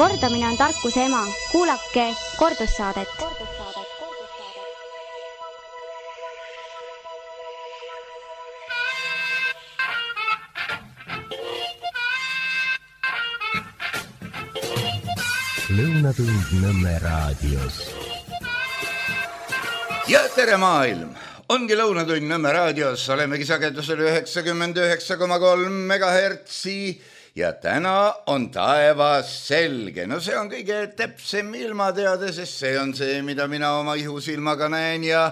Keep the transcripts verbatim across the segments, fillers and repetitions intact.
Kordamine on tarkuse ema. Kuulake kordussaadet. Lõunatund Nõmme raadios. Ja tere maailm! Ongi Lõunatund Nõmme raadios. Olemegi sagedusel üheksakümmend üheksa koma kolm megahertsi ja täna on taevas selge. No see on kõige täpsem ilmateade, sest see on see, mida mina oma ihusilmaga näen ja,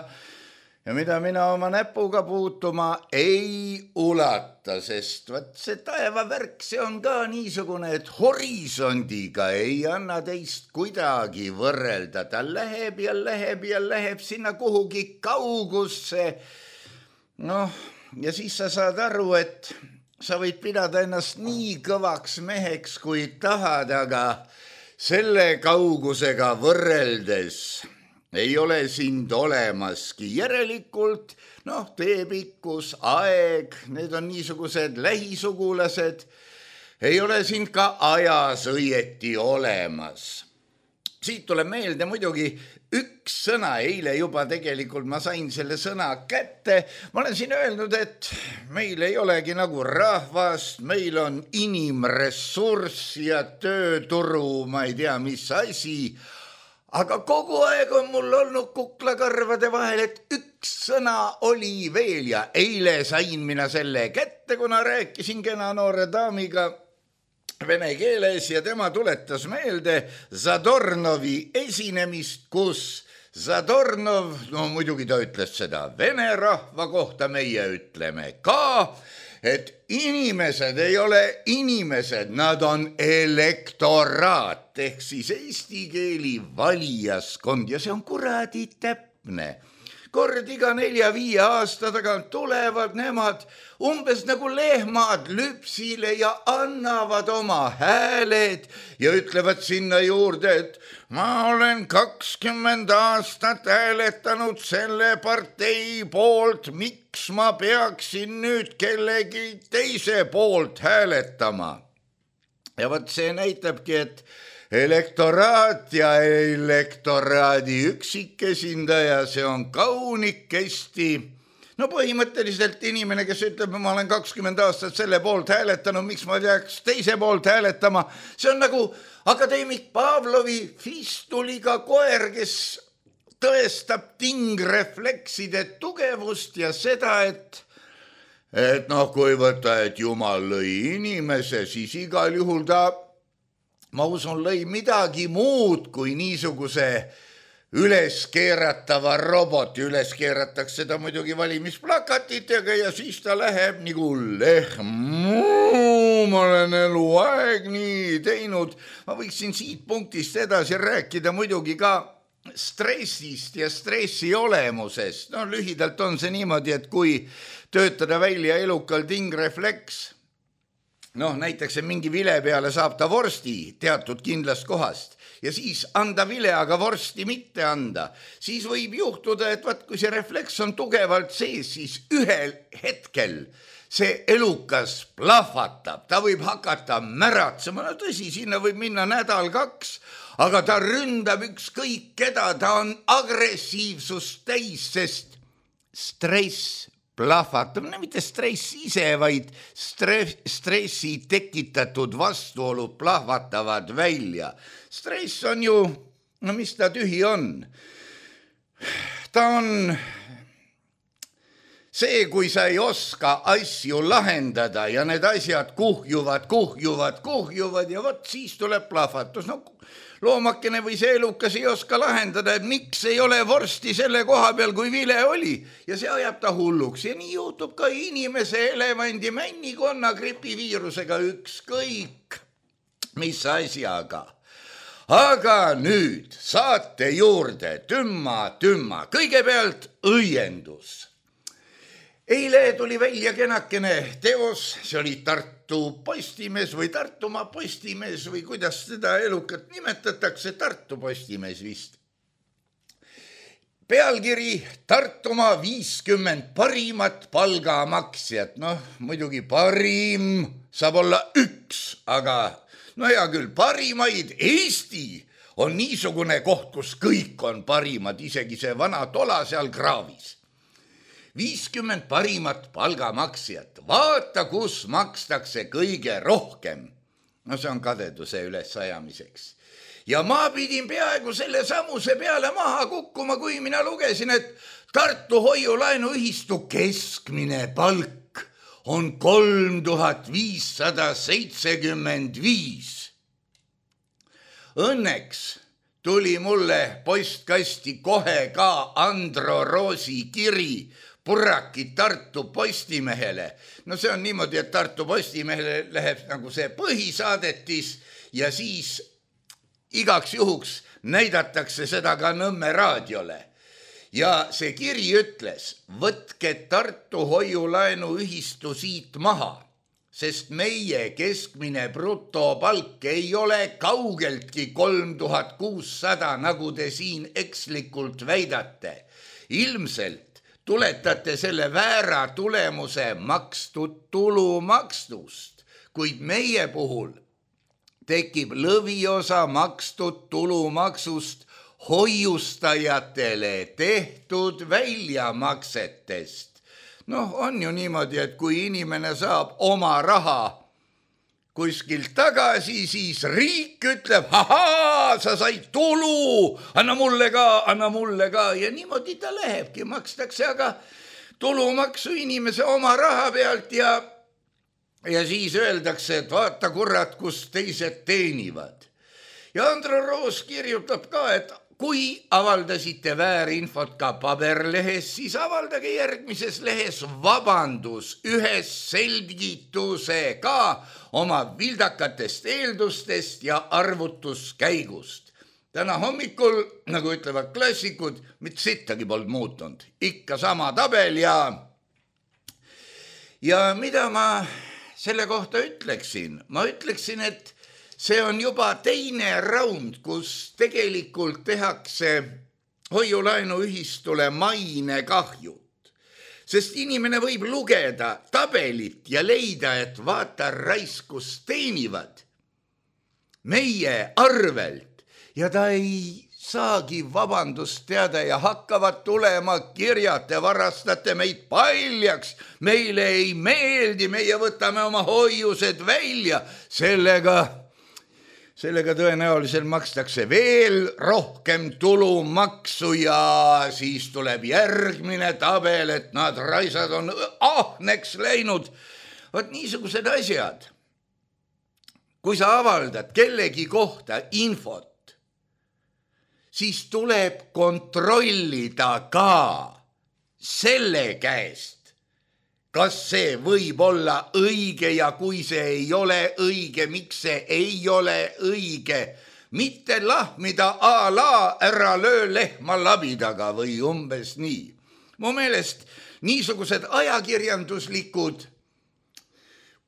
ja mida mina oma näpuga puutuma ei ulata, sest vaat see taevavärk, see on ka niisugune, et horisondiga ei anna teist kuidagi võrrelda. Ta läheb ja läheb ja läheb sinna kuhugi kaugusse. Noh, ja siis sa saad aru, et sa võid pidada ennast nii kõvaks meheks, kui tahad, aga selle kaugusega võrreldes ei ole sind olemaski. Järelikult, noh, teepikkus, aeg, need on niisugused lähisugulased, ei ole sind ka ajas õieti olemas. Siit tuleb meelde muidugi üks sõna, eile juba tegelikult ma sain selle sõna kätte. Ma olen siin öelnud, et meil ei olegi nagu rahvast, meil on inimressurss ja tööturu, ma ei tea, mis asi. Aga kogu aeg on mul olnud kuklakarvade vahel, et üks sõna oli veel ja eile sain mina selle kätte, kuna rääkisin kena noore daamiga vene keeles ja tema tuletas meelde Zadornovi esinemist, kus Zadornov, no muidugi ta ütles seda vene rahva kohta, meie ütleme ka, et inimesed ei ole inimesed, nad on elektoraat ehk siis eesti keeli valijaskond ja see on kuradi täpne. Kord iga nelja-viie aasta tagant tulevad nemad umbes nagu lehmad lüpsile ja annavad oma hääled ja ütlevad sinna juurde, et ma olen kakskümmend aastat hääletanud selle partei poolt, miks ma peaksin nüüd kellegi teise poolt hääletama. Ja võt see näitabki, et elektoraat ja elektoraadi üksikesindaja, see on kaunikesti. No põhimõtteliselt inimene, kes ütleb, ma olen kakskümmend aastat selle poolt hääletanud, miks ma peaks teise poolt hääletama, see on nagu akadeemik Pavlovi fistuliga koer, kes tõestab tingreflekside tugevust ja seda, et et noh, kui võtta, et Jumal lõi inimese, siis igal juhul ta ma usun, lõi midagi muud kui niisuguse üles keeratava roboti. Üles keeratakse seda muidugi valimisplakatitega ja siis ta läheb nagu lehm. Ma olen eluaeg nii teinud. Ma võiksin siit punktist edasi rääkida muidugi ka stressist ja stressi olemusest. No lühidalt on see niimoodi, et kui töötada välja elukal tingrefleks, noh, näiteks mingi vile peale saab ta vorsti teatud kindlast kohast ja siis anda vile, aga vorsti mitte anda. Siis võib juhtuda, et vaat, kui see refleks on tugevalt sees, siis ühel hetkel see elukas plahvatab. Ta võib hakata märatsema. No tõsi, sinna võib minna nädal kaks, aga ta ründab ükskõik keda. Ta on agressiivsust täis, sest stress plahvatab, no mitte stress ise, vaid stress, stressi tekitatud vastuolud plahvatavad välja. Stress on ju, no mis ta tühi on? Ta on see, kui sa ei oska asju lahendada ja need asjad kuhjuvad, kuhjuvad, kuhjuvad ja vot siis tuleb plahvatus. No loomakene või see elukas ei oska lahendada, et miks ei ole vorsti selle koha peal, kui vile oli. Ja see ajab ta hulluks. Ja nii juhtub ka inimese, elevandi, männikonna gripiviirusega ükskõik mis asjaga. Aga nüüd saate juurde tümma, tümma. Kõigepealt õiendus. Eile tuli välja kenakene teos, see oli Tartu Postimees või Tartumaa Postimees või kuidas seda elukat nimetatakse, Tartu Postimees vist. Pealkiri Tartumaa viiskümmend parimat palgamaksjat. Noh, muidugi parim saab olla üks, aga no hea küll, parimaid Eesti on niisugune koht, kus kõik on parimad, isegi see vana tola seal kraavis. viiskümmend parimat palgamaksjat, vaata, kus makstakse kõige rohkem. No see on kadeduse üles ajamiseks. Ja ma pidin peaaegu selle samuse peale maha kukkuma, kui mina lugesin, et Tartu hoiulaenuühistu keskmine palk on kolm tuhat viissada seitsekümmend viis. Õnneks tuli mulle postkasti kohe ka Andro Roosi kiri Purraki Tartu Postimehele. No see on niimoodi, et Tartu Postimehele läheb nagu see põhisaadetis ja siis igaks juhuks näidatakse seda ka Nõmme raadiole. Ja see kiri ütles, võtke Tartu hoiulaenuühistu siit maha, sest meie keskmine brutopalk ei ole kaugeltki kolm tuhat kuussada, nagu te siin ekslikult väidate. Ilmselt tuletate selle väära tulemuse makstud tulumaksust, kuid meie puhul tekib lõviosa makstud tulumaksust hoiustajatele tehtud väljamaksetest. Noh, on ju niimoodi, et kui inimene saab oma raha kuskilt tagasi, siis riik ütleb, ahaa, sa said tulu, anna mulle ka, anna mulle ka. Ja niimoodi ta lähebki, makstakse aga tulumaksu inimese oma raha pealt ja, ja siis öeldakse, et vaata kurat, kus teised teenivad. Ja Andro Roos kirjutab ka, et kui avaldasite väärinfot ka paberlehes, siis avaldage järgmises lehes vabandus ühes selgitusega oma vildakatest eeldustest ja arvutuskäigust. Täna hommikul, nagu ütlevad klassikud, mitte sittagi polnud muutunud. Ikka sama tabel ja, ja mida ma selle kohta ütleksin? Ma ütleksin, et see on juba teine raund, kus tegelikult tehakse hoiulaenuühistule mainekahjut. Sest inimene võib lugeda tabelit ja leida, et vaata raiskus teenivad meie arvelt ja ta ei saagi vabandust teada ja hakkavad tulema kirjad, te varastate meid paljaks, meile ei meeldi, meie võtame oma hoiused välja, sellega Sellega tõenäoliselt makstakse veel rohkem tulumaksu ja siis tuleb järgmine tabel, et nad raisad on ahneks läinud. Vot niisugused asjad. Kui sa avaldad kellegi kohta infot, siis tuleb kontrollida ka selle käest, kas see võib olla õige ja kui see ei ole õige, miks see ei ole õige. Mitte lahmida a la ära löö lehma labidaga või umbes nii. Mu meelest niisugused ajakirjanduslikud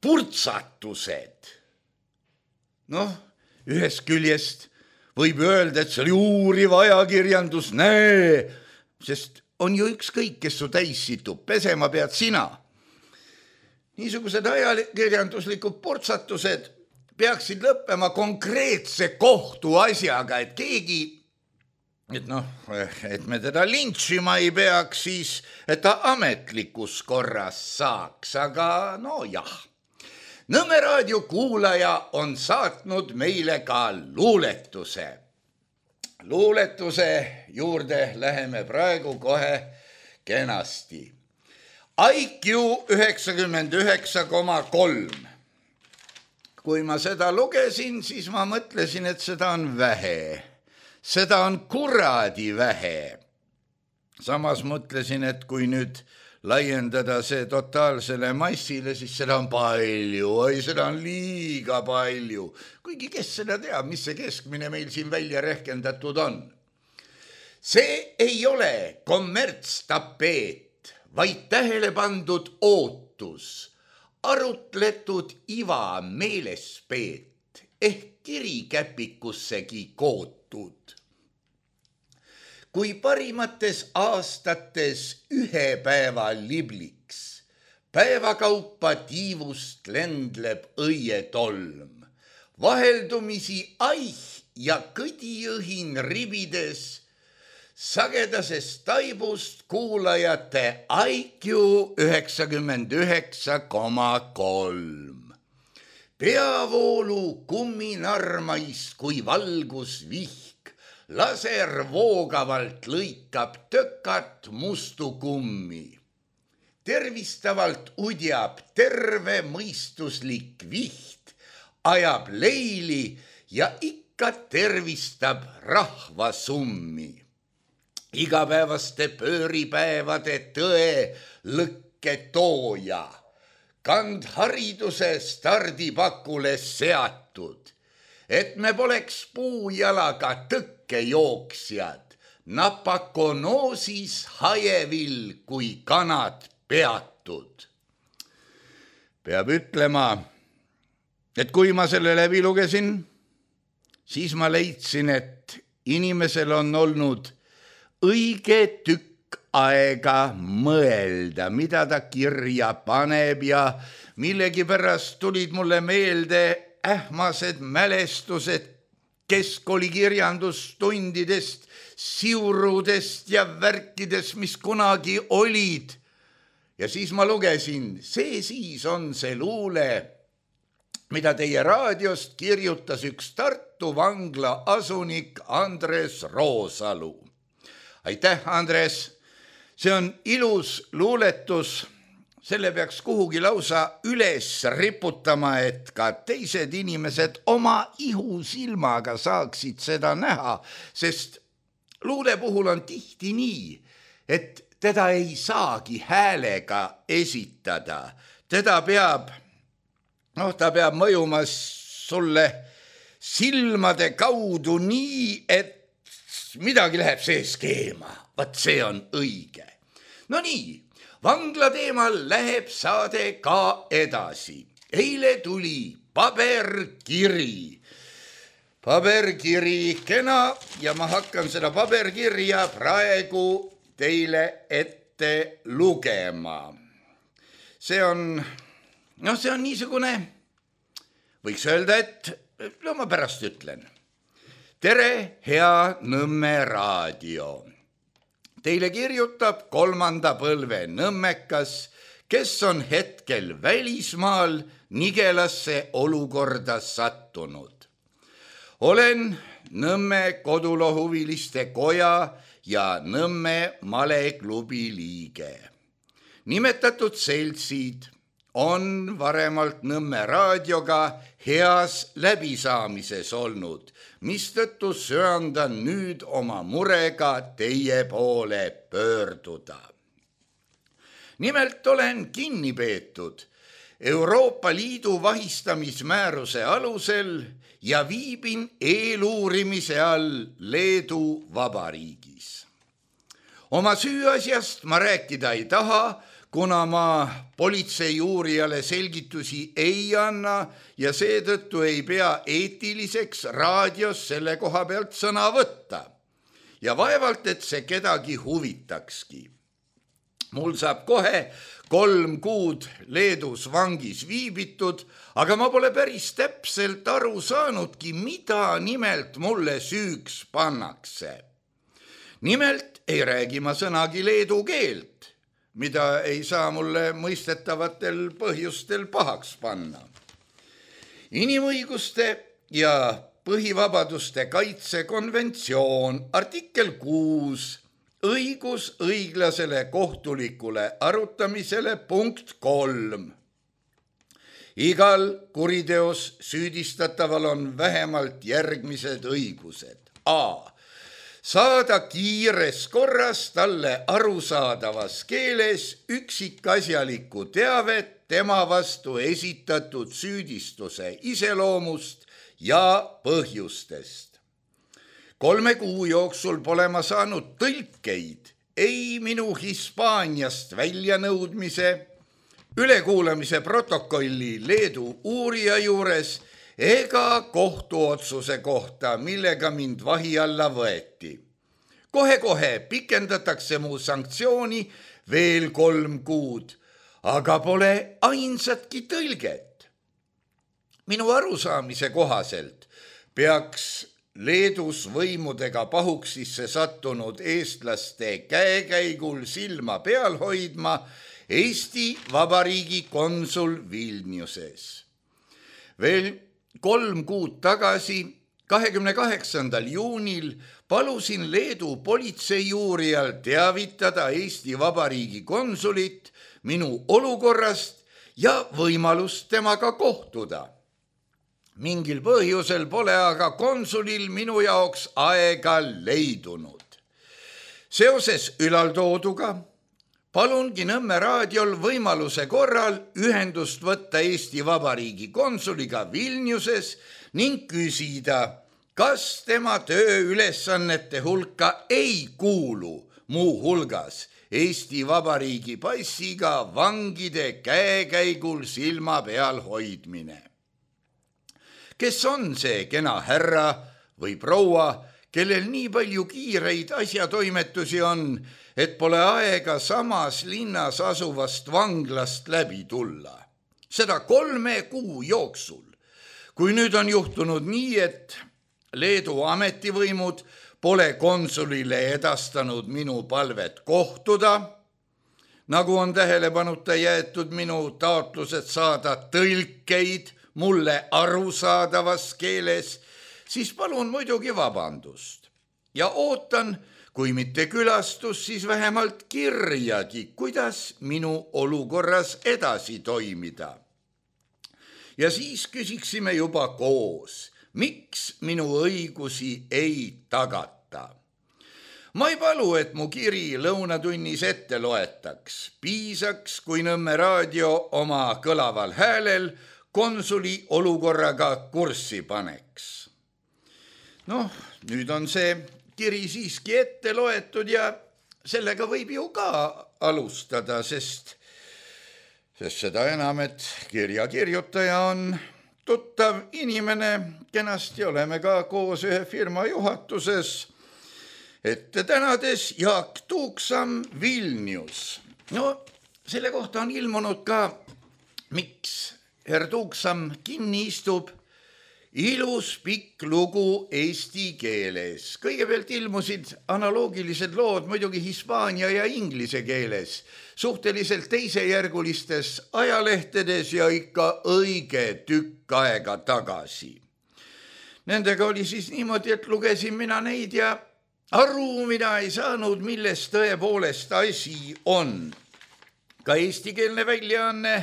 purtsatused. Noh, ühest küljest võib öelda, et see oli uuriv ajakirjandus, näe, sest on ju ükskõik, kes su täis situb, pesema pead sina. Niisugused ajakirjanduslikud purtsatused peaksid lõppema konkreetse kohtu asjaga, et keegi, et noh, et me teda lintšima ei peaks, siis et ta ametlikus korras saaks, aga no jah. Nõmme raadio kuulaja on saatnud meile ka luuletuse. Luuletuse juurde läheme praegu kohe kenasti. I Q üheksakümmend üheksa koma kolm. Kui ma seda lugesin, siis ma mõtlesin, et seda on vähe. Seda on kuradi vähe. Samas mõtlesin, et kui nüüd laiendada see totaalsele massile, siis seda on palju. Oi, seda on liiga palju. Kuigi kes seda teab, mis see keskmine meil siin välja rehkendatud on. See ei ole kommertstapeet, vaid tähele pandud ootus, arutletud iva meelespeet ehk kirikäpikussegi kootud. Kui parimates aastates ühe päeva libliks, päevakaupa tiivust lendleb õietolm, vaheldumisi aih ja kõdiõhin ribides, sagedasest taibust kuulajate I Q üheksakümmend üheksa koma kolm. Peavoolu kumminarmais kui valgusvihk, laser voogavalt lõikab tökat mustu kummi. Tervistavalt udjab terve mõistuslik viht, ajab leili ja ikka tervistab rahvasummi. Igapäevaste pööripäevade tõe lõkke tooja, kand hariduse stardipakule seatud, et me poleks puujalaga tõkkejooksjad, napakonoosis hajevil kui kanad peatud. Peab ütlema, et kui ma selle läbi lugesin, siis ma leidsin, et inimesel on olnud õige tükk aega mõelda, mida ta kirja paneb ja millegipärast tulid mulle meelde ähmased mälestused keskkooli kirjandustundidest, siurudest ja värkidest, mis kunagi olid. Ja siis ma lugesin, see siis on see luule, mida teie raadiost kirjutas üks Tartu vangla asunik Andres Roosalu. Aitäh, Andres! See on ilus luuletus, selle peaks kuhugi lausa üles riputama, et ka teised inimesed oma ihusilmaga saaksid seda näha, sest luule puhul on tihti nii, et teda ei saagi häälega esitada. Teda peab, noh, ta peab mõjuma sulle silmade kaudu nii, et midagi läheb sees keema. Vaat see on õige. No nii, vangla teemal läheb saade ka edasi. Eile tuli paberkiri. Paberkiri kena ja ma hakkan seda paberkirja praegu teile ette lugema. See on, noh, see on niisugune, võiks öelda, et no ma pärast ütlen. Tere, hea Nõmme raadio. Teile kirjutab kolmanda põlve nõmmekas, kes on hetkel välismaal nigelasse olukorda sattunud. Olen Nõmme kodulohuviliste koja ja Nõmme maleklubi liige. Nimetatud seltsid on varemalt Nõmme raadioga heas läbisaamises olnud, mistõttu söandan nüüd oma murega teie poole pöörduda. Nimelt olen kinni peetud Euroopa Liidu vahistamismääruse alusel ja viibin eeluurimise all Leedu Vabariigis. Oma süüasjast ma rääkida ei taha, kuna ma politsei uurijale selgitusi ei anna ja seetõttu ei pea eetiliseks raadios selle koha pealt sõna võtta. Ja vaevalt, et see kedagi huvitakski. Mul saab kohe kolm kuud Leedus vangis viibitud, aga ma pole päris täpselt aru saanudki, mida nimelt mulle süüks pannakse. Nimelt ei räägi ma sõnagi leedu keelt, mida ei saa mulle mõistetavatel põhjustel pahaks panna. Inimõiguste ja põhivabaduste kaitsekonventsioon, artikkel kuus, õigus õiglasele kohtulikule arutamisele, punkt kolm. Igal kuriteos süüdistataval on vähemalt järgmised õigused. A. Saada kiires korras talle arusaadavas keeles üksikasjalikku teavet tema vastu esitatud süüdistuse iseloomust ja põhjustest. Kolme kuu jooksul pole ma saanud tõlkeid ei minu Hispaaniast väljanõudmise, ülekuulamise protokolli Leedu uurija juures ega kohtuotsuse kohta, millega mind vahi alla võeti. Kohe-kohe pikendatakse mu sanktsiooni veel kolm kuud, aga pole ainsatki tõlget. Minu arusaamise kohaselt peaks Leedus võimudega pahuksisse sattunud eestlaste käekäigul silma peal hoidma Eesti Vabariigi konsul Vilniuses. Veel kolm kuud tagasi, kahekümne kaheksandal juunil, palusin Leedu politseiuurijal teavitada Eesti Vabariigi konsulit minu olukorrast ja võimalust temaga kohtuda. Mingil põhjusel pole aga konsulil minu jaoks aega leidunud. Seoses ülaldooduga palungi Nõmme raadiol võimaluse korral ühendust võtta Eesti Vabariigi konsuliga Vilniuses ning küsida, kas tema tööülesannete hulka ei kuulu muu hulgas Eesti Vabariigi passiga vangide käekäigul silma peal hoidmine. Kes on see kena härra või proua, kellel nii palju kiireid asjatoimetusi on, et pole aega samas linnas asuvast vanglast läbi tulla? Seda kolme kuu jooksul. Kui nüüd on juhtunud nii, et Leedu ametivõimud pole konsulile edastanud minu palvet kohtuda, nagu on tähelepanuta jäetud minu taotlused saada tõlkeid mulle arusaadavas keeles, siis palun muidugi vabandust. Ja ootan, kui mitte külastus, siis vähemalt kirjagi, kuidas minu olukorras edasi toimida. Ja siis küsiksime juba koos, miks minu õigusi ei tagata. Ma ei palu, et mu kiri lõunatunnis ette loetaks. Piisaks, kui Nõmme raadio oma kõlaval häälel konsuli olukorraga kurssi paneks. Noh, nüüd on see kiri siiski ette loetud ja sellega võib ju ka alustada, sest, sest seda enam, et kirja kirjutaja on tuttav inimene, kenasti oleme ka koos ühe firma juhatuses, ette tänades Jaak Tuuksam Vilnius. No, selle kohta on ilmunud ka, miks Herr Tuuksam kinni istub, ilus pikk lugu eesti keeles. Kõigepealt ilmusid analoogilised lood muidugi hispaania ja inglise keeles, suhteliselt teisejärgulistes ajalehtedes ja ikka õige tükk aega tagasi. Nendega oli siis niimoodi, et lugesin mina neid ja aru mina ei saanud, milles tõepoolest asi on. Ka eestikeelne väljaanne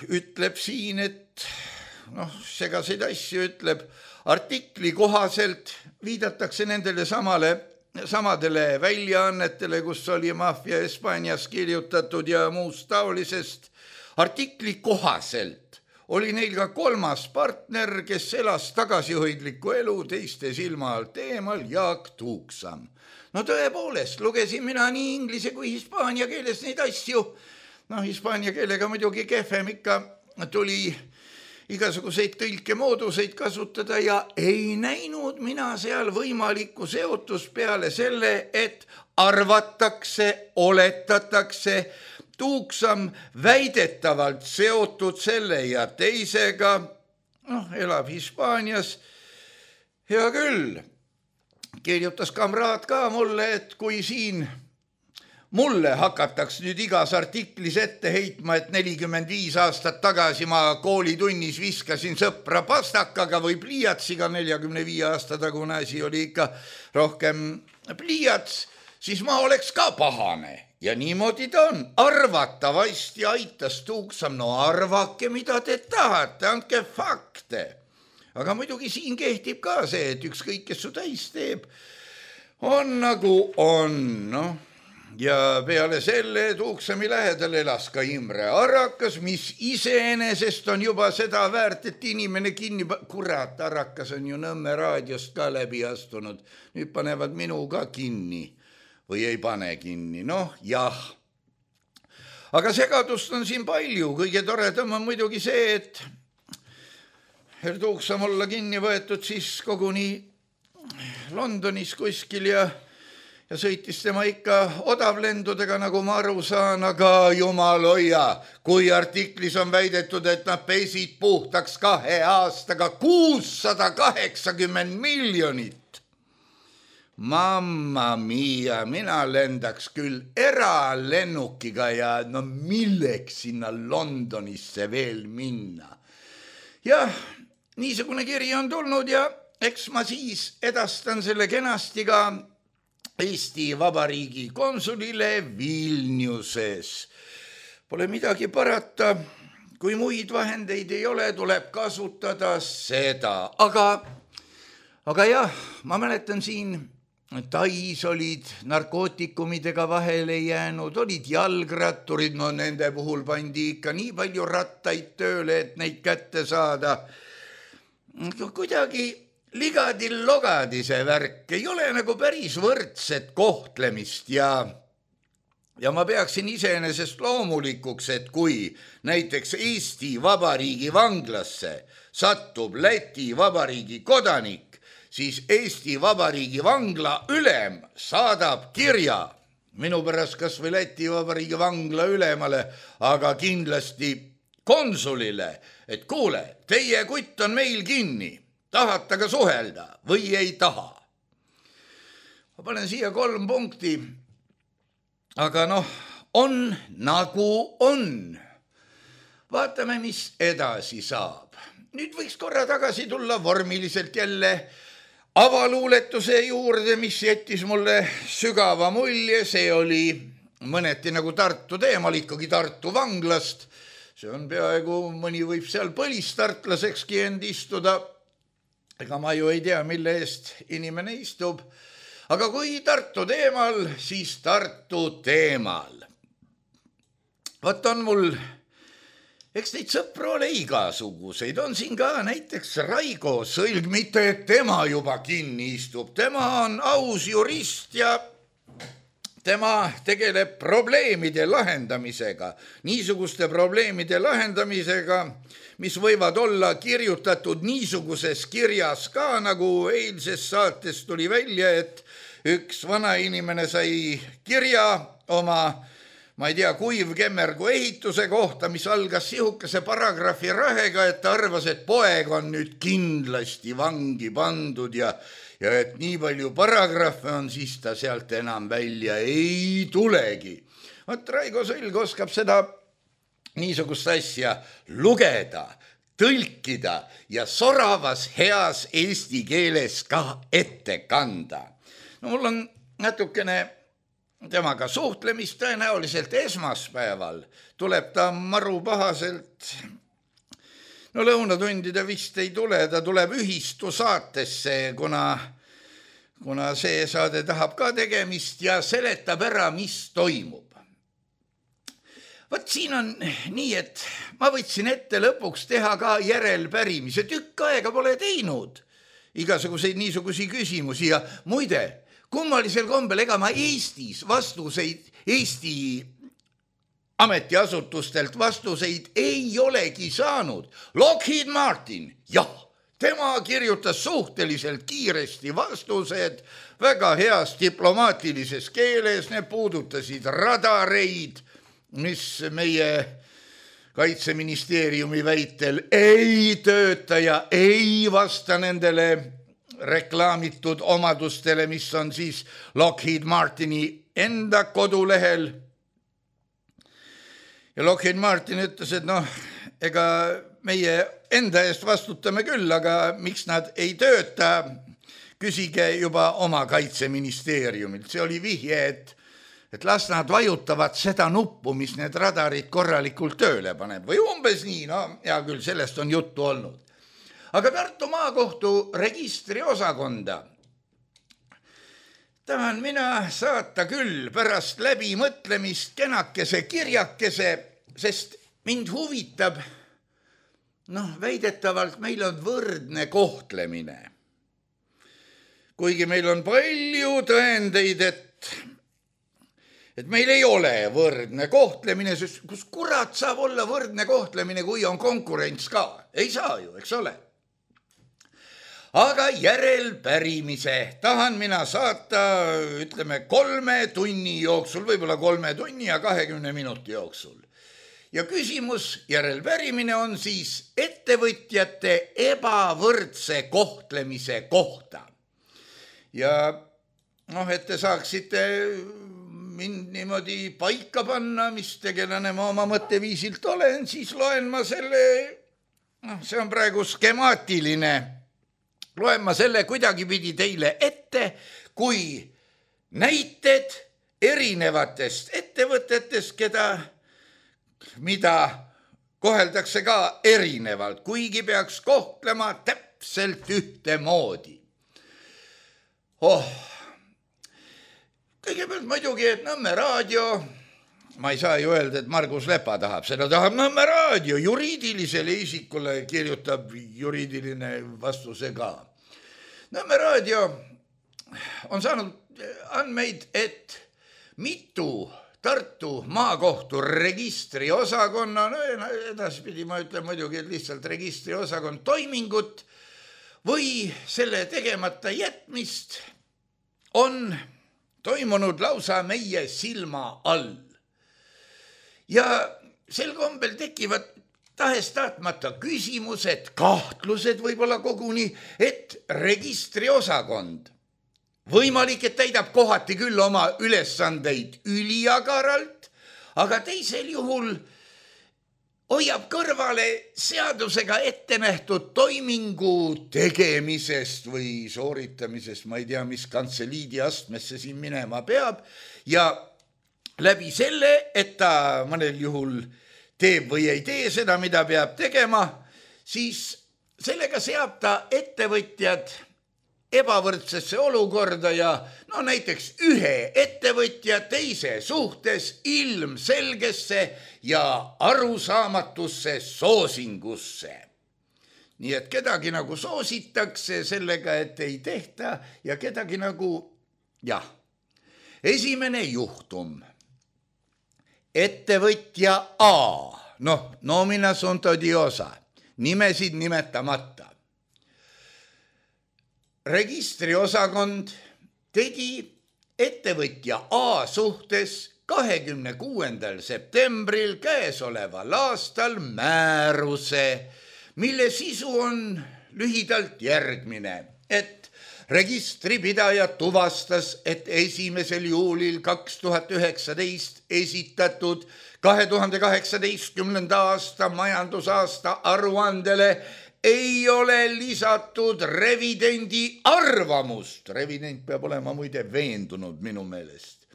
ütleb siin, et noh, segaseid asju ütleb, artikli kohaselt viidatakse nendele samale, samadele väljaannetele, kus oli maffia Hispaanias kirjutatud ja muust taolisest. Artikli kohaselt oli neil ka kolmas partner, kes elas tagasihoidlikku elu teiste silma alt eemal, Jaak Tuuksam. No tõepoolest, lugesin mina nii inglise kui hispaania keeles neid asju. No hispaania keelega muidugi kehvem ikka tuli igasuguseid tõlkemooduseid kasutada ja ei näinud mina seal võimalikku seotus peale selle, et arvatakse, oletatakse, Tuuksam väidetavalt seotud selle ja teisega, noh, elab Hispaanias. Hea küll, kirjutas kamraad ka mulle, et kui siin mulle hakataks nüüd igas artiklis ette heitma, et nelikümmend viis aastat tagasi ma koolitunnis viskasin sõpra pastakaga või pliiatsiga, neljakümne viie aasta tagune asi oli ikka rohkem pliiats, siis ma oleks ka pahane. Ja niimoodi ta on. Arvatavasti aitas Tuuksam, no arvake, mida te tahate, andke fakte. Aga muidugi siin kehtib ka see, et ükskõik, kes su täis teeb, on nagu on, noh. Ja peale selle Tuuksami lähedal elas ka Imre Arakas, mis iseenesest on juba seda väärt, et inimene kinni... Kurat, Arakas on ju Nõmme raadiost ka läbi astunud. Nüüd panevad minu ka kinni või ei pane kinni. Noh, jah. Aga segadust on siin palju. Kõige toredam on muidugi see, et Herr Tuuksam olla kinni võetud siis koguni Londonis kuskil ja ja sõitis tema ikka odavlendudega, nagu ma aru saan, aga jumal hoia, kui artiklis on väidetud, et nad pesid puhtaks kahe aastaga kuussada kaheksakümmend miljonit. Mamma mia, mina lendaks küll eralennukiga ja no milleks sinna Londonisse veel minna. Jah, niisugune kiri on tulnud ja eks ma siis edastan selle kenasti ka Eesti Vabariigi konsulile Vilniuses. Pole midagi parata, kui muid vahendeid ei ole, tuleb kasutada seda. Aga, aga jah, ma mäletan siin, Tais olid narkootikumidega vahele jäänud, olid jalgratturid, no nende puhul pandi ikka nii palju rattaid tööle, et neid kätte saada. Kuidagi ligadi-logadi see värk, ei ole nagu päris võrdset kohtlemist ja, ja ma peaksin iseenesest loomulikuks, et kui näiteks Eesti Vabariigi vanglasse satub Läti Vabariigi kodanik, siis Eesti Vabariigi vangla ülem saadab kirja minu pärast kas või Läti Vabariigi vangla ülemale, aga kindlasti konsulile, et kuule, teie kutt on meil kinni, tahate ka suhelda või ei taha. Ma panen siia kolm punkti, aga noh, on nagu on. Vaatame, mis edasi saab. Nüüd võiks korra tagasi tulla vormiliselt jälle avaluuletuse juurde, mis jättis mulle sügava mulje, see oli mõneti nagu Tartu teemal, ikkagi Tartu vanglast. See on peaaegu, mõni võib seal põlistartlasekski end istuda. Ega ma ju ei tea, mille eest inimene istub. Aga kui Tartu teemal, siis Tartu teemal. Võt on mul... Eks neid sõpru ole igasuguseid, on siin ka näiteks Raigo Sõlg, mitte et tema juba kinni istub, tema on aus jurist ja tema tegeleb probleemide lahendamisega, niisuguste probleemide lahendamisega, mis võivad olla kirjutatud niisuguses kirjas ka, nagu eilses saates tuli välja, et üks vana inimene sai kirja oma ma ei tea, kuivkemmergu ehituse kohta, mis algas sihukese paragrahvi rahega, et ta arvas, et poeg on nüüd kindlasti vangi pandud ja, ja et nii palju paragrahve on, siis ta sealt enam välja ei tulegi. Võt Raigo Sõlg oskab seda niisugust asja lugeda, tõlkida ja soravas heas eesti keeles ka ette kanda. No mul on natukene temaga suhtlemist, tõenäoliselt esmaspäeval tuleb ta maru pahaselt, no lõunatundide vist ei tule, ta tuleb ühistu saatesse, kuna, kuna see saade tahab ka tegemist ja seletab ära, mis toimub. Võt siin on nii, et ma võtsin ette lõpuks teha ka järelpärimise, tükk aega pole teinud igasuguseid niisugusi küsimusi ja muide, kummalisel kombel, ega ma Eestis vastuseid, Eesti ametiasutustelt vastuseid ei olegi saanud. Lockheed Martin, jah, tema kirjutas suhteliselt kiiresti vastused, väga heas diplomaatilises keeles, need puudutasid radareid, mis meie Kaitseministeeriumi väitel ei tööta ja ei vasta nendele reklaamitud omadustele, mis on siis Lockheed Martini enda kodulehel. Ja Lockheed Martin ütles, et noh, ega meie enda eest vastutame küll, aga miks nad ei tööta, küsige juba oma Kaitseministeeriumilt. See oli vihje, et, et las nad vajutavad seda nuppu, mis need radarid korralikult tööle paneb. Või umbes nii, no hea küll, sellest on juttu olnud. Aga Tartu maakohtu registriosakonda tahan mina saata küll pärast läbimõtlemist kenakese kirjakese, sest mind huvitab, noh, väidetavalt meil on võrdne kohtlemine. Kuigi meil on palju tõendeid, et, et meil ei ole võrdne kohtlemine, sest kus kurat saab olla võrdne kohtlemine, kui on konkurents ka? Ei saa ju, eks ole. aga järelpärimise tahan mina saata, ütleme, kolme tunni jooksul, võib-olla kolme tunni ja kahekümne minuti jooksul. Ja küsimus, järelpärimine on siis ettevõtjate ebavõrdse kohtlemise kohta. Ja noh, et te saaksite mind niimoodi paika panna, mis tegelane ma oma mõtteviisilt olen, siis loen ma selle, noh, see on praegu skemaatiline, loen ma selle kuidagipidi teile ette, kui näited erinevatest ettevõtetest, keda mida koheldakse ka erinevalt, kuigi peaks kohtlema täpselt ühtemoodi. Oh, kõigepealt muidugi, et Nõmme raadio, ma ei saa ju öelda, et Margus Lepa tahab, seda tahab Nõmme raadio, juriidilisele isikule kirjutab juriidiline vastuse ka. Nõmme raadio on saanud andmeid, et mitu Tartu maakohtu registriosakonna, no edaspidi ma ütlen muidugi, et lihtsalt registriosakond toimingut või selle tegemata jätmist on toimunud lausa meie silma all. Ja sel kombel tekivad tahes-tahtmata küsimused, kahtlused võib-olla koguni, et registriosakond võimalik, et täidab kohati küll oma ülesandeid üliagaralt, aga teisel juhul hoiab kõrvale seadusega ette nähtud toimingu tegemisest või sooritamisest, ma ei tea, mis kantseliidi astmesse siin minema peab, ja läbi selle, et ta mõnel juhul teeb või ei tee seda, mida peab tegema, siis sellega seab ta ettevõtjad ebavõrdsesse olukorda ja no näiteks ühe ettevõtja teise suhtes ilmselgesse ja arusaamatusse soosingusse. Nii et kedagi nagu soositakse sellega, et ei tehta ja kedagi nagu, jah, esimene juhtum. Ettevõtja A, noh, nomina sunt odiosa, nimesid nimetamata. Registriosakond tegi ettevõtja A suhtes kahekümne kuuendal septembril käesoleval aastal määruse, mille sisu on lühidalt järgmine, et registripidaja tuvastas, et esimesel juulil kaks tuhat üheksateist esitatud kahe tuhande kaheksateistkümnenda aasta majandusaasta aruandele ei ole lisatud revidendi arvamust, revident peab olema muide veendunud minu meelest,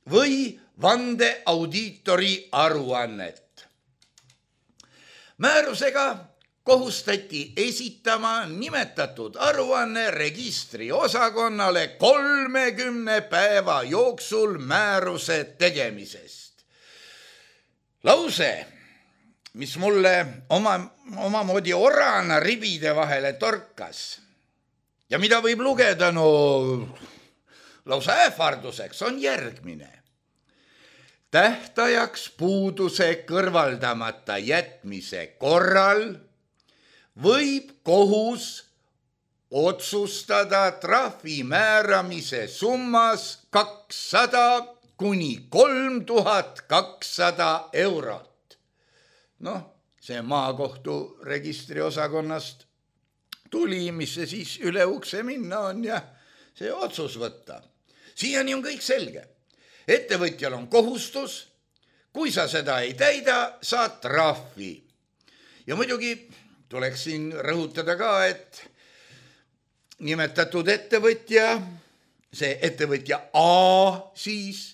või vandeaudiitori aruannet. Määrusega kohustati esitama nimetatud aruanne registriosakonnale kolmekümne päeva jooksul määruse tegemisest. Lause, mis mulle oma, omamoodi orana ribide vahele torkas ja mida võib lugeda no lausa ähvarduseks, on järgmine. Tähtajaks puuduse kõrvaldamata jätmise korral võib kohus otsustada trahvi määramise summas kakssada kuni kolm tuhat kakssada eurot. Noh, see maakohtu registriosakonnast tuli, mis see siis üle ukse minna on ja see otsus võtta. Siiani on kõik selge. Ettevõtjal on kohustus, kui sa seda ei täida, saad trahvi. Ja muidugi tuleks siin rõhutada ka, et nimetatud ettevõtja, see ettevõtja A siis,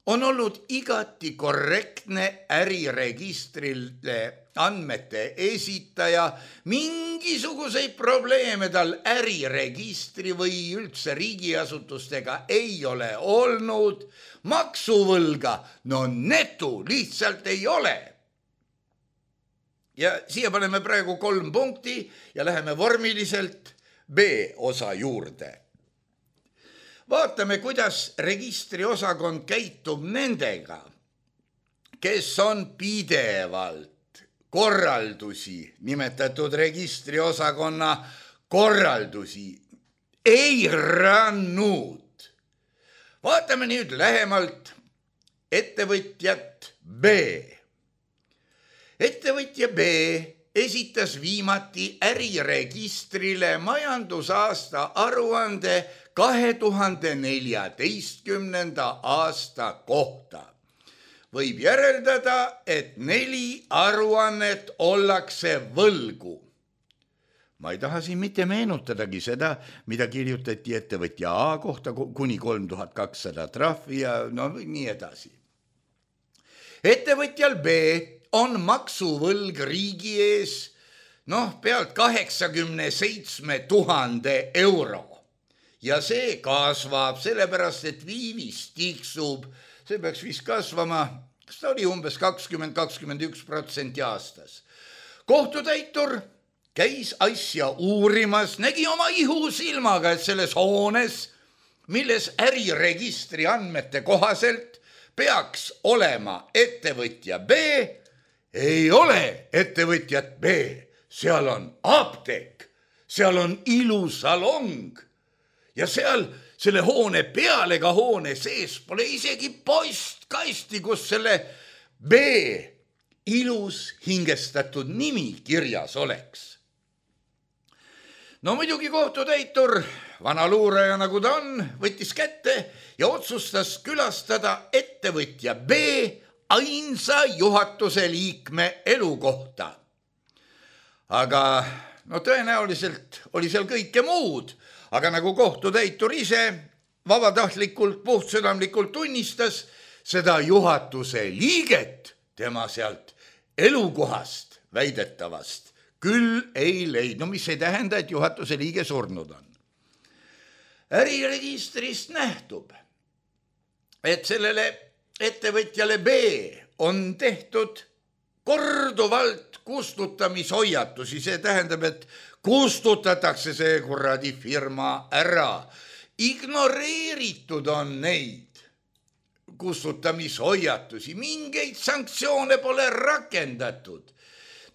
on olnud igati korrektne äriregistrile andmete esitaja, mingisuguseid probleeme tal äriregistri või üldse riigiasutustega ei ole olnud, maksuvõlga, no netu lihtsalt ei ole. Ja siia paneme praegu kolm punkti ja läheme vormiliselt B-osa juurde. Vaatame, kuidas registriosakond käitub nendega, kes on pidevalt korraldusi nimetatud registriosakonna korraldusi eiranud. Vaatame nüüd lähemalt ettevõtjat B. Ettevõtja B esitas viimati äriregistrile majandusaasta aruande kahe tuhande neljateistkümnenda aasta kohta. Võib järeldada, et neli aruannet ollakse võlgu. Ma ei taha siin mitte meenutadagi seda, mida kirjutati ettevõtja A kohta kuni kolm tuhat kakssada trahvi ja no nii edasi. Ettevõtjal B on maksuvõlg riigi ees noh, pealt kaheksakümne seitsme tuhande euro. Ja see kasvab, sellepärast, et viivis tiksub, see peaks vist kasvama, kas ta oli umbes kakskümmend kuni kakskümmend üks protsenti aastas. Kohtutäitur käis asja uurimas, nägi oma ihusilmaga, et selles hoones, milles äriregistri andmete kohaselt peaks olema ettevõtja B, ei ole ettevõtjat B, seal on apteek, seal on ilusalong ja seal selle hoone peale ka hoone sees pole isegi postkasti, kus selle B ilus hingestatud nimi kirjas oleks. No muidugi kohtutäitur, vana luuraja nagu ta on, võttis kätte ja otsustas külastada ettevõtja B ainsa juhatuse liikme elukohta. Aga no tõenäoliselt oli seal kõike muud, aga nagu kohtutäitur ise vabatahtlikult, puhtsüdamlikult tunnistas, seda juhatuse liiget tema sealt elukohast väidetavast küll ei leidnud, no mis ei tähenda, et juhatuse liige surnud on. Äriregistrist nähtub, et sellele ettevõtjale B on tehtud korduvalt kustutamishoiatusi, see tähendab, et kustutatakse see kuradi firma ära. Ignoreeritud on neid kustutamishoiatusi, mingeid sanktsioone pole rakendatud.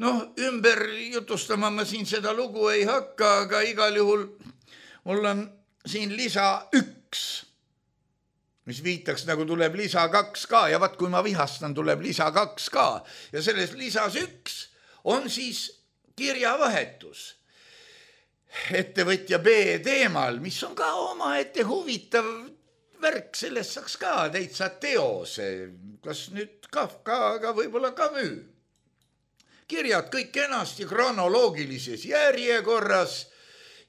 Noh, ümber jutustama ma siin seda lugu ei hakka, aga igal juhul mul on siin lisa üks, mis viitaks nagu tuleb lisa kaks ka ja vaat kui ma vihastan, tuleb lisa kaks ka ja selles lisas üks on siis kirjavahetus ettevõtja B teemal, mis on ka omaette huvitav värk, sellest saaks ka täitsa teose, kas nüüd Kafka, aga võib-olla Camus. Kirjad kõik enasti kronoloogilises järjekorras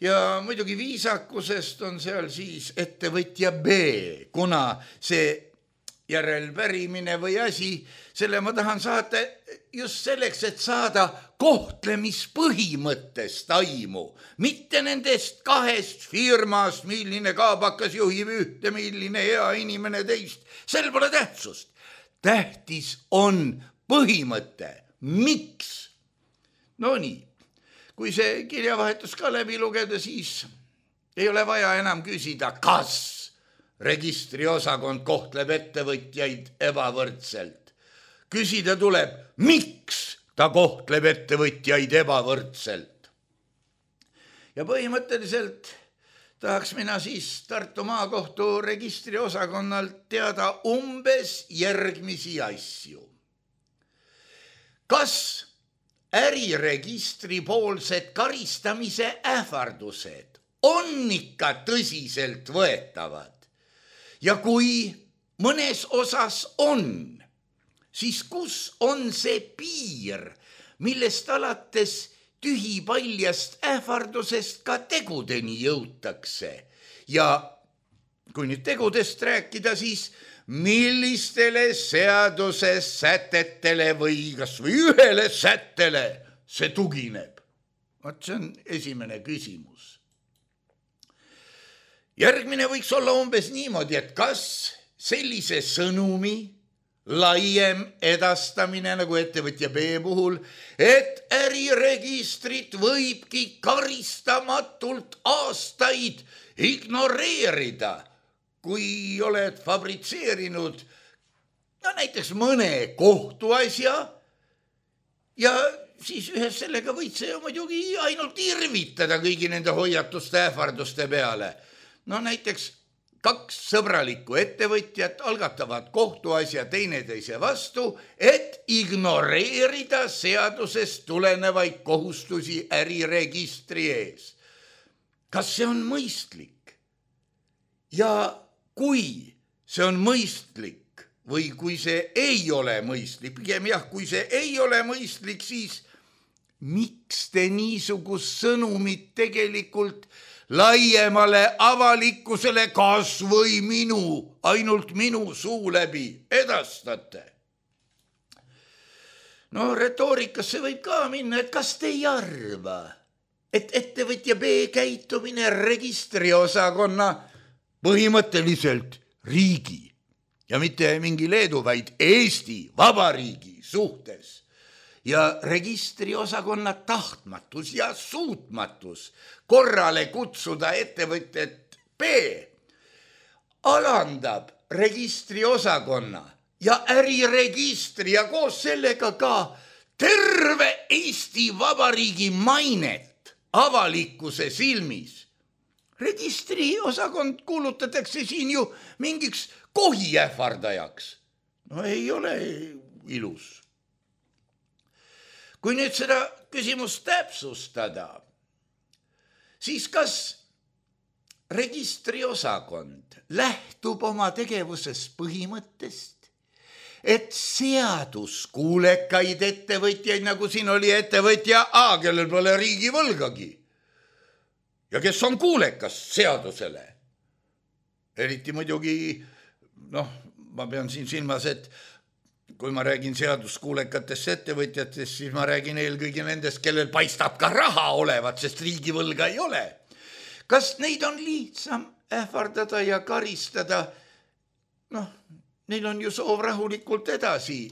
ja muidugi viisakusest on seal siis ettevõtja B, kuna see järelpärimine või asi, selle ma tahan saada just selleks, et saada kohtlemispõhimõttest aimu, mitte nendest kahest firmast, milline kaabakas juhib ühte, milline hea inimene teist, sel pole tähtsust. Tähtis on põhimõte, miks? No nii, kui see kirjavahetus ka läbi lugeda, siis ei ole vaja enam küsida, kas registriosakond kohtleb ettevõtjaid ebavõrdselt. Küsida tuleb, miks ta kohtleb ettevõtjaid ebavõrdselt. Ja põhimõtteliselt tahaks mina siis Tartu maakohtu registriosakonnalt teada umbes järgmisi asju. Kas äriregistri poolsed karistamise ähvardused on ikka tõsiselt võetavad? Ja kui mõnes osas on, siis kus on see piir, millest alates tühipaljast ähvardusest ka tegudeni jõutakse? Ja kui nüüd tegudest rääkida, siis millistele seaduse sätetele või kas või ühele sättele see tugineb? Vaat see on esimene küsimus. Järgmine võiks olla umbes niimoodi, et kas sellise sõnumi laiem edastamine nagu ettevõtja B puhul, et äriregistrit võibki karistamatult aastaid ignoreerida, kui oled fabritseerinud no näiteks mõne kohtuasja ja siis ühes sellega võid see muidugi ainult irvitada kõigi nende hoiatuste ähvarduste peale. No näiteks kaks sõbralikku ettevõtjat algatavad kohtuasja teineteise vastu, et ignoreerida seadusest tulenevaid kohustusi äriregistri ees. Kas see on mõistlik? Ja kui see on mõistlik või kui see ei ole mõistlik, pigem jah, kui see ei ole mõistlik, siis miks te niisugust sõnumit tegelikult laiemale avalikkusele kas või minu, ainult minu suu läbi edastate? No retoorikasse võib ka minna, et kas te ei arva, et ettevõtja B käitumine registriosakonna põhimõtteliselt riigi ja mitte mingi Leedu, vaid Eesti Vabariigi suhtes ja registriosakonna tahtmatus ja suutmatus korrale kutsuda ettevõtjat B alandab registriosakonna ja äriregistri ja koos sellega ka terve Eesti Vabariigi mainet avalikkuse silmis. Registriosakond kuulutatakse siin ju mingiks kohiähvardajaks. No ei ole ilus. Kui nüüd seda küsimust täpsustada, siis kas registriosakond lähtub oma tegevuses põhimõttest, et seaduskuulekaid ettevõtjaid, nagu siin oli ettevõtja A, kellel pole riigi võlgagi ja kes on kuulekas seadusele. Eriti muidugi, noh, ma pean siin silmas, et kui ma räägin seaduskuulekatest ettevõtjatest, siis ma räägin eelkõige nendest, kellel paistab ka raha olevat, sest riigivõlga ei ole. Kas neid on lihtsam ähvardada ja karistada? Noh, neil on ju soov rahulikult edasi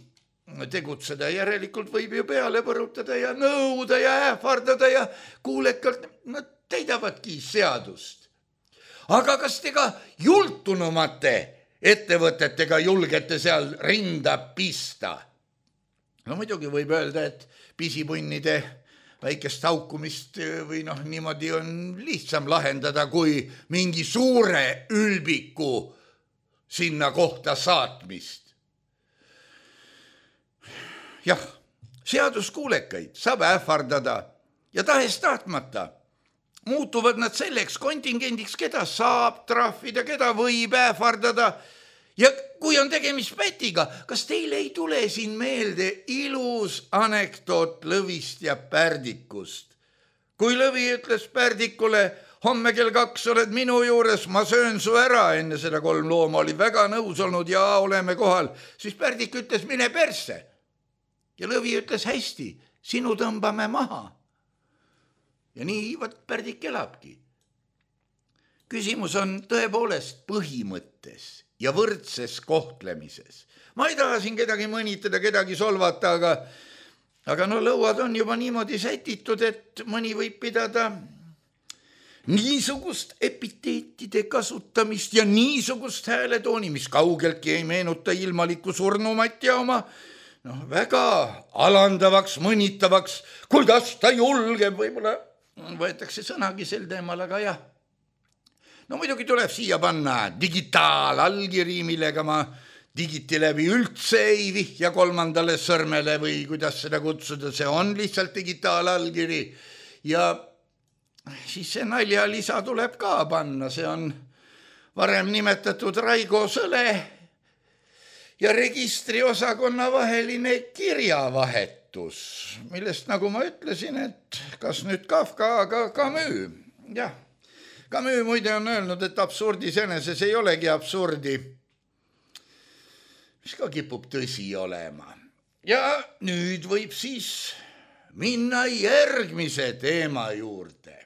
tegutseda, järelikult võib ju peale põrutada ja nõuda ja ähvardada ja kuulekalt nad täidavadki seadust. Aga kas te ka jultunumate ettevõtetega julgete seal rinda pista? No muidugi võib öelda, et pisipunnide väikest haukumist või noh, niimoodi on lihtsam lahendada kui mingi suure ülbiku sinna kohta saatmist. Jah, seaduskuulekaid saab ähvardada ja tahes tahtmata muutuvad nad selleks kontingendiks, keda saab trahvida, keda võib ähvardada. Ja kui on tegemist pätiga, kas teile ei tule siin meelde ilus anekdoot Lõvist ja Pärdikust? Kui Lõvi ütles Pärdikule, homme kell kaks oled minu juures, ma söön su ära, enne seda kolm looma oli väga nõus olnud ja oleme kohal, siis Pärdik ütles, mine persse. Ja Lõvi ütles, hästi, sinu tõmbame maha. Ja nii võt Pärdik elabki. Küsimus on tõepoolest põhimõttes ja võrdses kohtlemises. Ma ei taha siin kedagi mõnitada, kedagi solvata, aga, aga no lõuad on juba niimoodi sätitud, et mõni võib pidada niisugust epiteetide kasutamist ja niisugust hääletooni, mis kaugeltki ei meenuta ilmalikku surnumat ja oma noh, väga alandavaks, mõnitavaks, kuidas ta julgeb, võib-olla võetakse sõnagi sel teemal, aga jah. No muidugi tuleb siia panna digitaalallkiri, millega ma digiti läbi üldse ei vihja kolmandale sõrmele või kuidas seda kutsuda, see on lihtsalt digitaalallkiri. Ja siis see naljalisa tuleb ka panna, see on varem nimetatud Raigo Sõle ja registriosakonna vaheline kirjavahetus, millest, nagu ma ütlesin, et kas nüüd Kafka, aga Camus. Jah, Camus muide on öelnud, et absurdis eneses ei olegi absurdi, mis ka kipub tõsi olema. Ja nüüd võib siis minna järgmise teema juurde.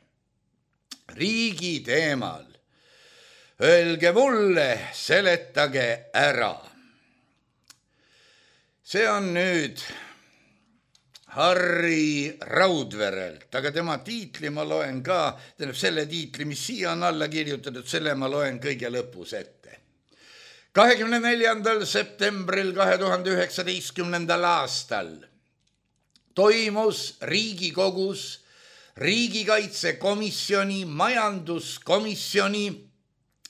Riigi teemal. Öelge mulle, seletage ära. See on nüüd Harri Raudverelt, aga tema tiitli ma loen ka, tähendab selle tiitli, mis siia on alla kirjutatud, selle ma loen kõige lõpus ette. kahekümne neljandal septembril kahe tuhande üheksateistkümnendal aastal toimus Riigikogus riigikaitsekomisjoni, majanduskomisjoni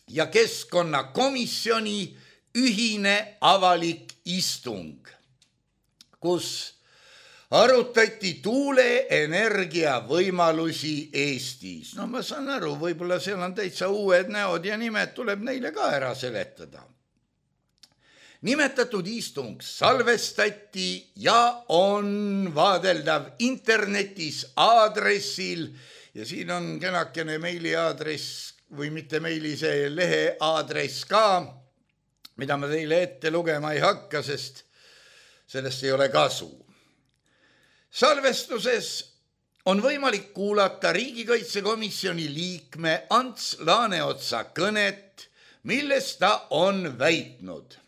ja keskkonnakomisjoni ühine avalik istung, kus arutati tuuleenergia võimalusi Eestis. No ma saan aru, võib-olla seal on täitsa uued näod ja nimed, tuleb neile ka ära seletada. Nimetatud istung salvestati ja on vaadeldav internetis aadressil ja siin on kenakene meili aadress või mitte meili, see lehe aadress ka, mida ma teile ette lugema ei hakka, sest sellest ei ole kasu. Salvestuses on võimalik kuulata riigikaitsekomisjoni liikme Ants Laaneotsa kõnet, milles ta on väitnud.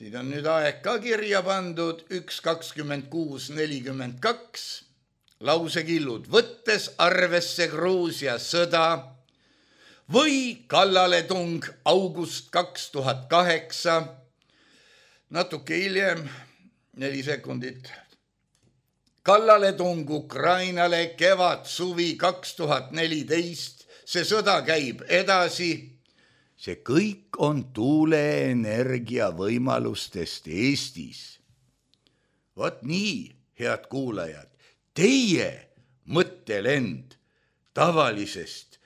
Siin on nüüd aeg ka kirja pandud, üks kakskümmend kuus nelikümmend kaks, lausekillud, võttes arvesse Gruusia sõda või kallaletung august kaks tuhat kaheksa, natuke hiljem, neli sekundit, kallaletung Ukrainale kevad suvi kaks tuhat neliteist, see sõda käib edasi. See kõik on tuuleenergia võimalustest Eestis. Vot nii, head kuulajad, teie mõttelend tavalisest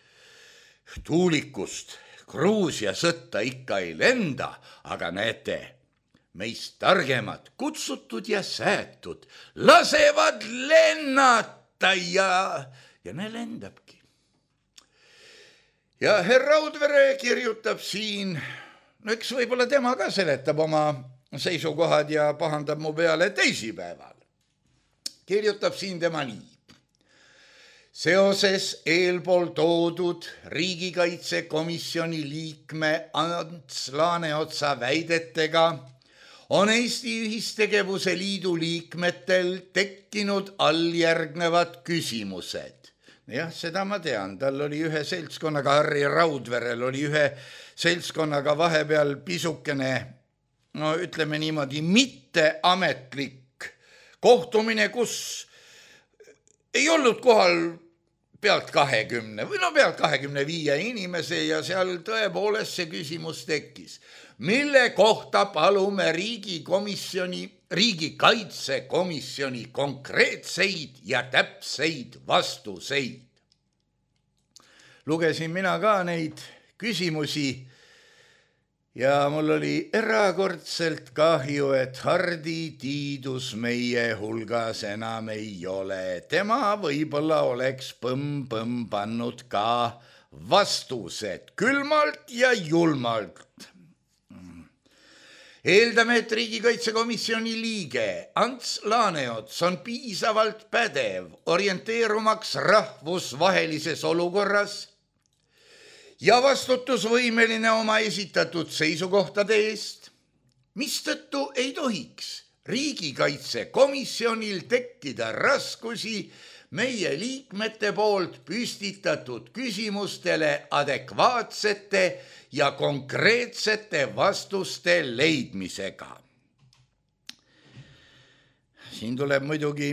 tuulikust Gruusia sõtta ikka ei lenda, aga näete, meist targemad, kutsutud ja säätud, lasevad lennata ja, ja ne lendabki. Ja herra Raudvere kirjutab siin, no eks võib-olla tema ka seletab oma seisukohad ja pahandab mu peale teisipäeval. Kirjutab siin tema nii. Seoses eelpool toodud riigikaitsekomisjoni liikme Ants Laaneotsa väidetega on Eesti Ühistegevuse Liidu liikmetel tekkinud alljärgnevad küsimused. Jah, seda ma tean, tal oli ühe seltskonnaga, Harri Raudverel oli ühe seltskonnaga vahepeal pisukene, no ütleme niimoodi, mitteametlik kohtumine, kus ei olnud kohal pealt kahekümne või no pealt kahekümne viie inimese ja seal tõepoolest see küsimus tekkis, mille kohta palume riigikomisjoni, riigikaitsekomisjoni konkreetseid ja täpseid vastuseid. Lugesin mina ka neid küsimusi ja mul oli erakordselt kahju, et Hardi Tiidus meie hulgas enam ei ole. Tema võib-olla oleks põmm-põmm pannud ka vastused külmalt ja julmalt. Eeldame, et riigikaitsekomisjoni liige Ants Laaneots on piisavalt pädev orienteerumaks rahvusvahelises olukorras ja vastutusvõimeline oma esitatud seisukohtade eest, mistõttu ei tohiks riigikaitsekomisjonil tekkida raskusi meie liikmete poolt püstitatud küsimustele adekvaatsete ja konkreetsete vastuste leidmisega. Siin tuleb muidugi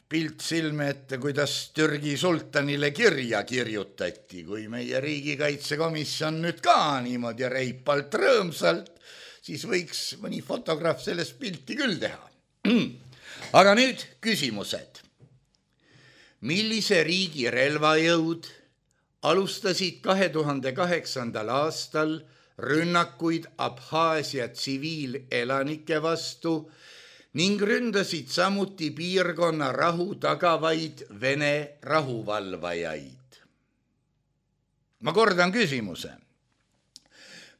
pilt silme ette, kuidas Türgi sultanile kirja kirjutati, kui meie riigikaitsekomisjon nüüd ka niimoodi reipalt rõõmsalt, siis võiks mõni fotograaf sellest pilti küll teha. Aga nüüd küsimused. Millise riigi relvajõud alustasid kahe tuhande kaheksandal aastal rünnakuid Abhaasia tsiviilelanike vastu ning ründasid samuti piirkonna rahu tagavaid Vene rahuvalvajaid? Ma kordan küsimuse.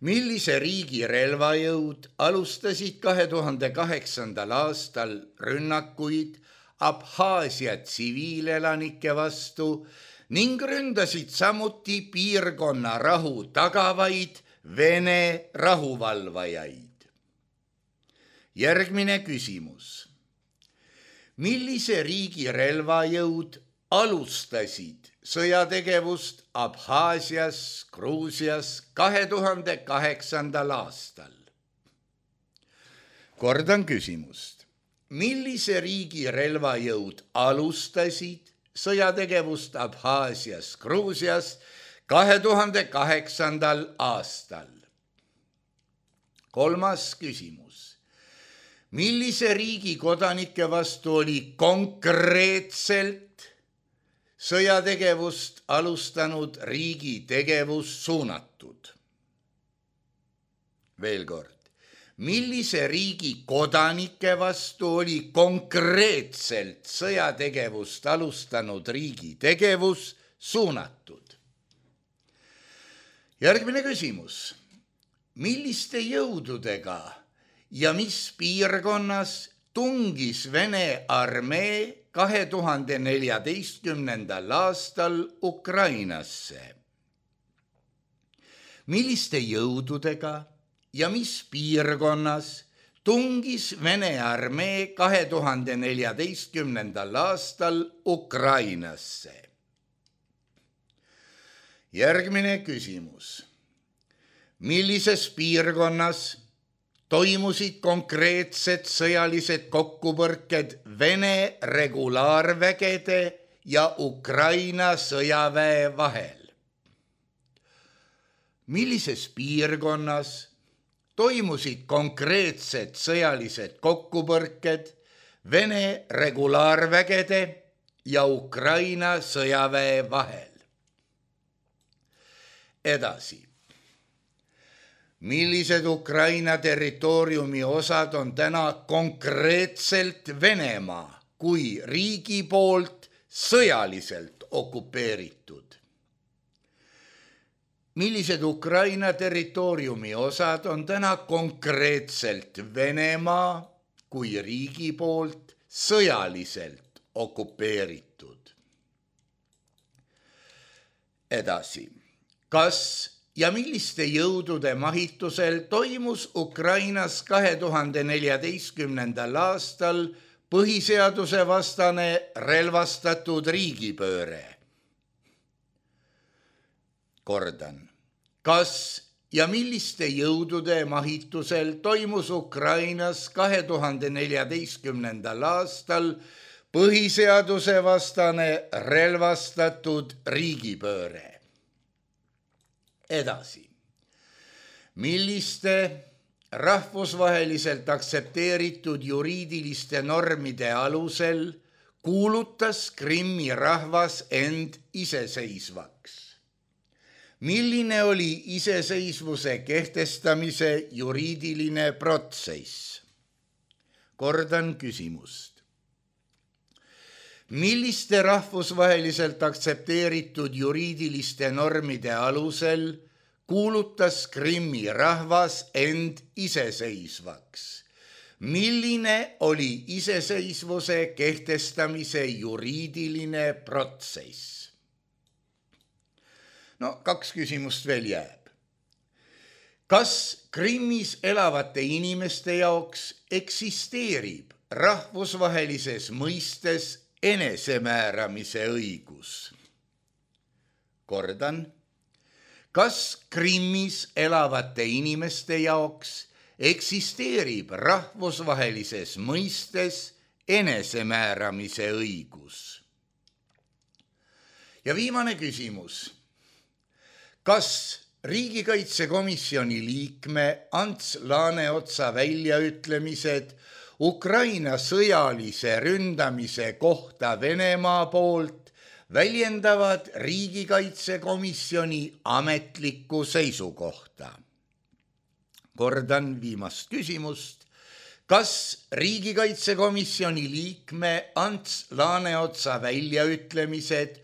Millise riigi relvajõud alustasid kahe tuhande kaheksandal aastal rünnakuid Abhaasia tsiviilelanike vastu ning ründasid samuti piirkonna rahu tagavaid Vene rahuvalvajaid? Järgmine küsimus. Millise riigi relvajõud alustasid sõjategevust Abhaasias, Gruusias kahe tuhande kaheksandal aastal? Kordan küsimust. millise riigi relvajõud alustasid sõjategevust Abhaasias, Gruusias kahe tuhande kaheksandal aastal? Kolmas küsimus. Millise riigi kodanike vastu oli konkreetselt sõjategevust alustanud riigi tegevus suunatud? Veel kord. Millise riigi kodanike vastu oli konkreetselt sõjategevust alustanud riigi tegevus suunatud? Järgmine küsimus. Milliste jõududega ja mis piirkonnas tungis Vene armee kahe tuhande neljateistkümnendal aastal Ukrainasse? Milliste jõududega ja mis piirkonnas tungis Vene armee kahe tuhande neljateistkümnendal aastal Ukrainasse? Järgmine küsimus. Millises piirkonnas toimusid konkreetsed sõjalised kokkupõrked Vene regulaarvägede ja Ukraina sõjaväe vahel? Millises piirkonnas toimusid konkreetsed sõjalised kokkupõrked Vene regulaarvägede ja Ukraina sõjaväe vahel? Edasi. Millised Ukraina territooriumi osad on täna konkreetselt Venemaa kui riigi poolt sõjaliselt okupeeritud? Millised Ukraina territooriumi osad on täna konkreetselt Venemaa kui riigi poolt sõjaliselt okupeeritud? Edasi. Kas ja milliste jõudude mahitusel toimus Ukrainas kahe tuhande neljateistkümnendal aastal põhiseaduse vastane relvastatud riigipööre? Kordan. Kas ja milliste jõudude mahitusel toimus Ukrainas kahe tuhande neljateistkümnendal aastal põhiseaduse vastane relvastatud riigipööre? Edasi. Milliste rahvusvaheliselt aktsepteeritud juriidiliste normide alusel kuulutas Krimmi rahvas end iseseisvaks? Milline oli iseseisvuse kehtestamise juriidiline protsess? Kordan küsimust. Milliste rahvusvaheliselt aktsepteeritud juriidiliste normide alusel kuulutas Krimmi rahvas end iseseisvaks? Milline oli iseseisvuse kehtestamise juriidiline protsess? No, kaks küsimust veel jääb. Kas Krimmis elavate inimeste jaoks eksisteerib rahvusvahelises mõistes enesemääramise õigus? Kordan. Kas Krimmis elavate inimeste jaoks eksisteerib rahvusvahelises mõistes enesemääramise õigus? Ja viimane küsimus. Kas riigikaitsekomisjoni liikme Ants Laaneotsa väljaütlemised Ukraina sõjalise ründamise kohta Venemaa poolt väljendavad riigikaitsekomisjoni ametlikku seisukohta? Kordan viimast küsimust. Kas riigikaitsekomisjoni liikme Ants Laaneotsa väljaütlemised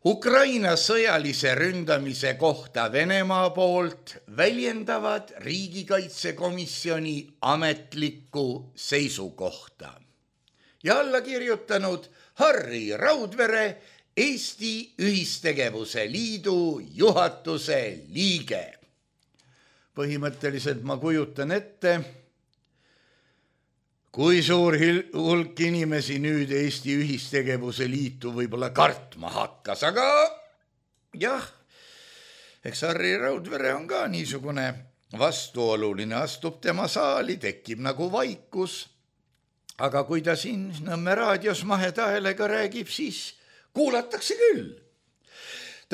Ukraina sõjalise ründamise kohta Venemaa poolt väljendavad riigikaitsekomisjoni ametlikku seisukohta? Ja alla kirjutanud Harri Raudvere, Eesti Ühistegevuse Liidu juhatuse liige. Põhimõtteliselt ma kujutan ette, kui suur hulk inimesi nüüd Eesti Ühistegevuse Liitu võib-olla kartma hakkas, aga jah, eks Harri Raudvere on ka niisugune vastuoluline, astub tema saali, tekib nagu vaikus aga kui ta siin Nõmme raadios mahetahelega räägib, siis kuulatakse küll.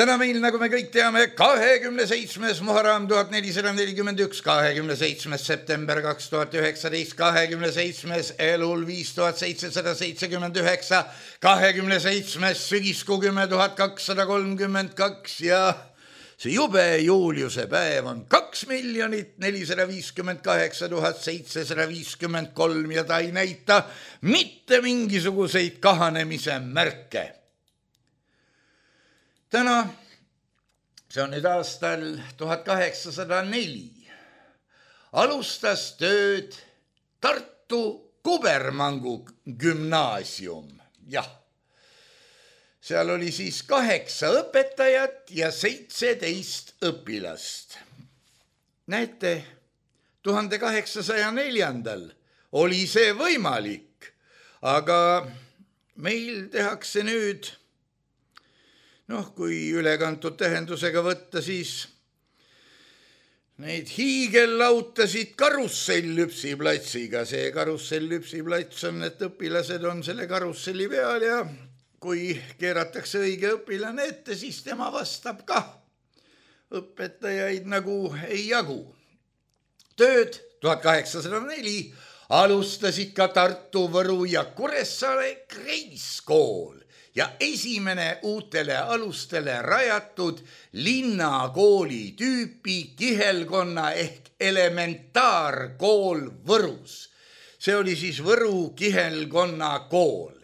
Täna meil, nagu me kõik teame, kahekümne seitsmes Muharram tuhat nelisada nelikümmend üks, kahekümne seitsmes september kaks tuhat üheksateist, kahekümne seitsmes Elul viis tuhat seitsesada seitsekümmend üheksa, kahekümne seitsmes sügiskuu kümme tuhat kakssada kolmkümmend kaks ja see jube Juliuse päev on kaks miljonit nelisada viiskümmend kaheksa tuhat seitsesada viiskümmend kolm ja ta ei näita mitte mingisuguseid kahanemise märke. Täna, see on nüüd aastal tuhat kaheksasada neli, alustas tööd Tartu Kubermangu gümnaasium. Jah, seal oli siis kaheksa õpetajat ja seitseteist õpilast. Näete, tuhande kaheksasaja neljandal oli see võimalik, aga meil tehakse nüüd noh, kui ülekantud tähendusega võtta, siis neid hiigellautasid karussell-lüpsiplatsiga. See karussell-lüpsiplats on, et õpilased on selle karusselli peal ja kui keeratakse õige õpilane ette, siis tema vastab ka. Õpetajaid nagu ei jagu. Tööd tuhat kaheksasada neli alustasid ka Tartu, Võru ja Kuressaare kreiskool. Ja esimene uutele alustele rajatud linnakooli tüüpi kihelkonna ehk elementaarkool Võrus. See oli siis Võru kihelkonna kool.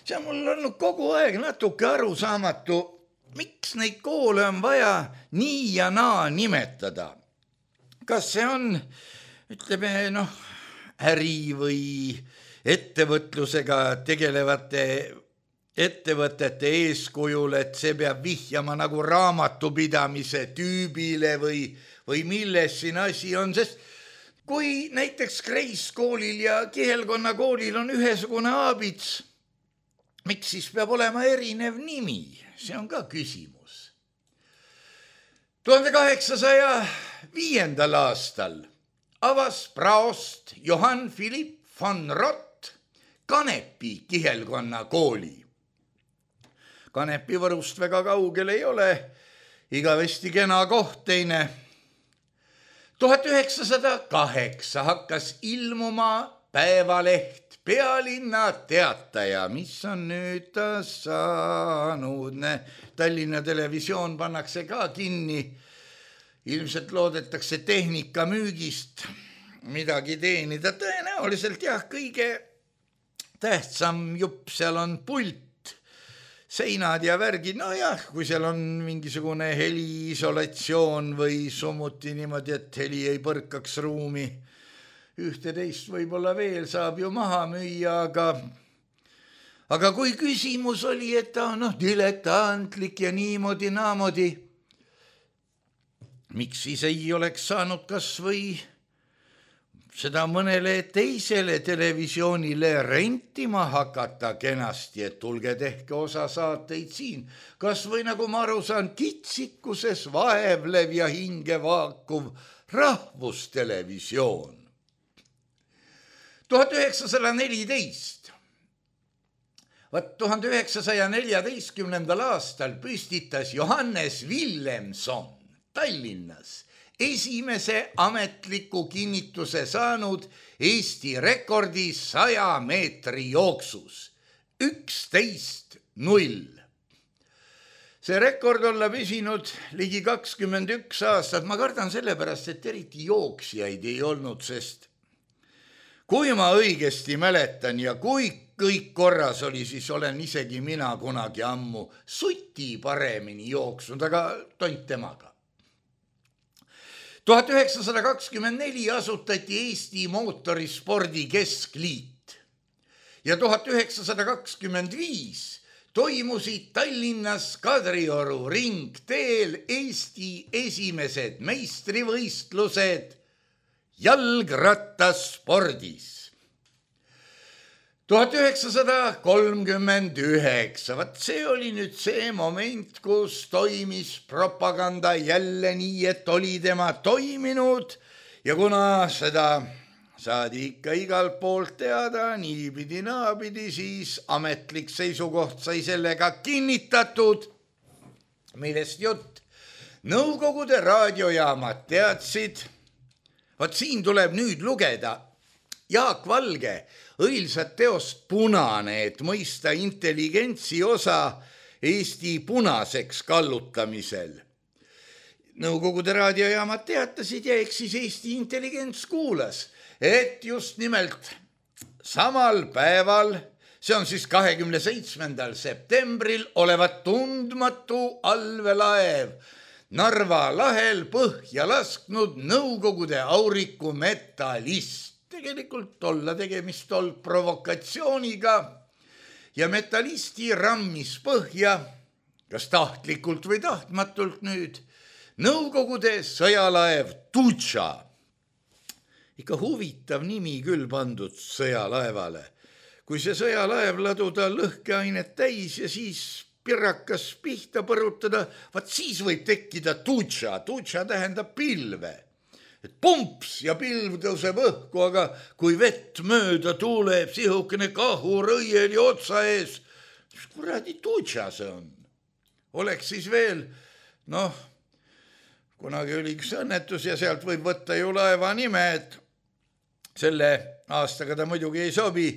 See on mul olnud kogu aeg natuke arusaamatu, miks neid koole on vaja nii ja naa nimetada. Kas see on, ütleme, noh, äri või ettevõtlusega tegelevate ettevõtete eeskujul, et see peab vihjama nagu raamatupidamise tüübile või, või milles siin asi on, sest kui näiteks kreiskoolil ja kihelkonna koolil on ühesugune aabits, miks siis peab olema erinev nimi? See on ka küsimus. tuhande kaheksasaja viiendal aastal avas praost Johann Philipp von Rott Kanepi kihelkonna kooli. Kanepi Võrust väga kaugel ei ole, igavesti kena koht teine. tuhat üheksasada kaheksa hakkas ilmuma päevaleht Pealinna Teataja, mis on nüüd ta saanud. Tallinna Televisioon pannakse ka kinni. Ilmselt loodetakse tehnika müügist midagi teenida. Tõenäoliselt jah, kõige tähtsam jupp seal on pult. Seinad ja värgid, no jah, kui seal on mingisugune heliisolatsioon või summuti niimoodi, et heli ei põrkaks ruumi. Ühte-teist võib-olla veel saab ju maha müüa, aga, aga kui küsimus oli, et ta on noh, diletantlik ja niimoodi, naamodi, miks siis ei oleks saanud kas või seda mõnele teisele televisioonile rentima hakata kenasti, et tulge tehke osa saateid siin. Kas või nagu ma aru saan, kitsikuses vaevlev ja hinge vaakuv rahvustelevisioon. tuhat üheksasada neliteist. Vaat tuhande üheksasaja neljateistkümnendal aastal püstitas Johannes Villemson Tallinnas esimese ametliku kinnituse saanud Eesti rekordi saja meetri jooksus. üksteist null. See rekord olla püsinud ligi kakskümmend üks aastat. Ma kardan sellepärast, et eriti jooksjaid ei olnud, sest kui ma õigesti mäletan ja kui kõik korras oli, siis olen isegi mina kunagi ammu suti paremini jooksnud, aga tont temaga. tuhat üheksasada kakskümmend neli asutati Eesti mootorispordi keskliit ja tuhat üheksasada kakskümmend viis toimusid Tallinnas Kadrioru ringteel Eesti esimesed meistrivõistlused jalgrattaspordis. tuhat üheksasada kolmkümmend üheksa, vaat see oli nüüd see moment, kus toimis propaganda jälle nii, et oli tema toiminud ja kuna seda saadi ikka igalt poolt teada, niipidi naapidi, siis ametlik seisukoht sai sellega kinnitatud. Millest jutt? Nõukogude raadiojaamad teadsid, vot siin tuleb nüüd lugeda Jaak Valge õilsat teost Punane, et mõista intelligentsi osa Eesti punaseks kallutamisel. Nõukogude raadiojaamad teatasid ja eks siis Eesti intelligents kuulas, et just nimelt samal päeval, see on siis kahekümne seitsmendal septembril, olevat tundmatu allveelaev Narva lahel põhja lasknud Nõukogude auriku Metallist. Tegelikult olla tegemist olnud provokatsiooniga ja Metallisti rammis põhja, kas tahtlikult või tahtmatult nüüd, Nõukogude sõjalaev Tutša. Ikka huvitav nimi küll pandud sõjalaevale. Kui see sõjalaev laduda lõhkeainet täis ja siis pirrakas pihta põrutada, vaat siis võib tekkida Tutša. Tutša tähendab pilve. Et pumps ja pilv tõuseb õhku, aga kui vett mööda tuuleb sihukene kahur õieli otsa ees, siis kuradi Tutša see on. Oleks siis veel, noh, kunagi oli üks õnnetus ja sealt võib võtta ju laeva nime, et selle aastaga ta muidugi ei sobi.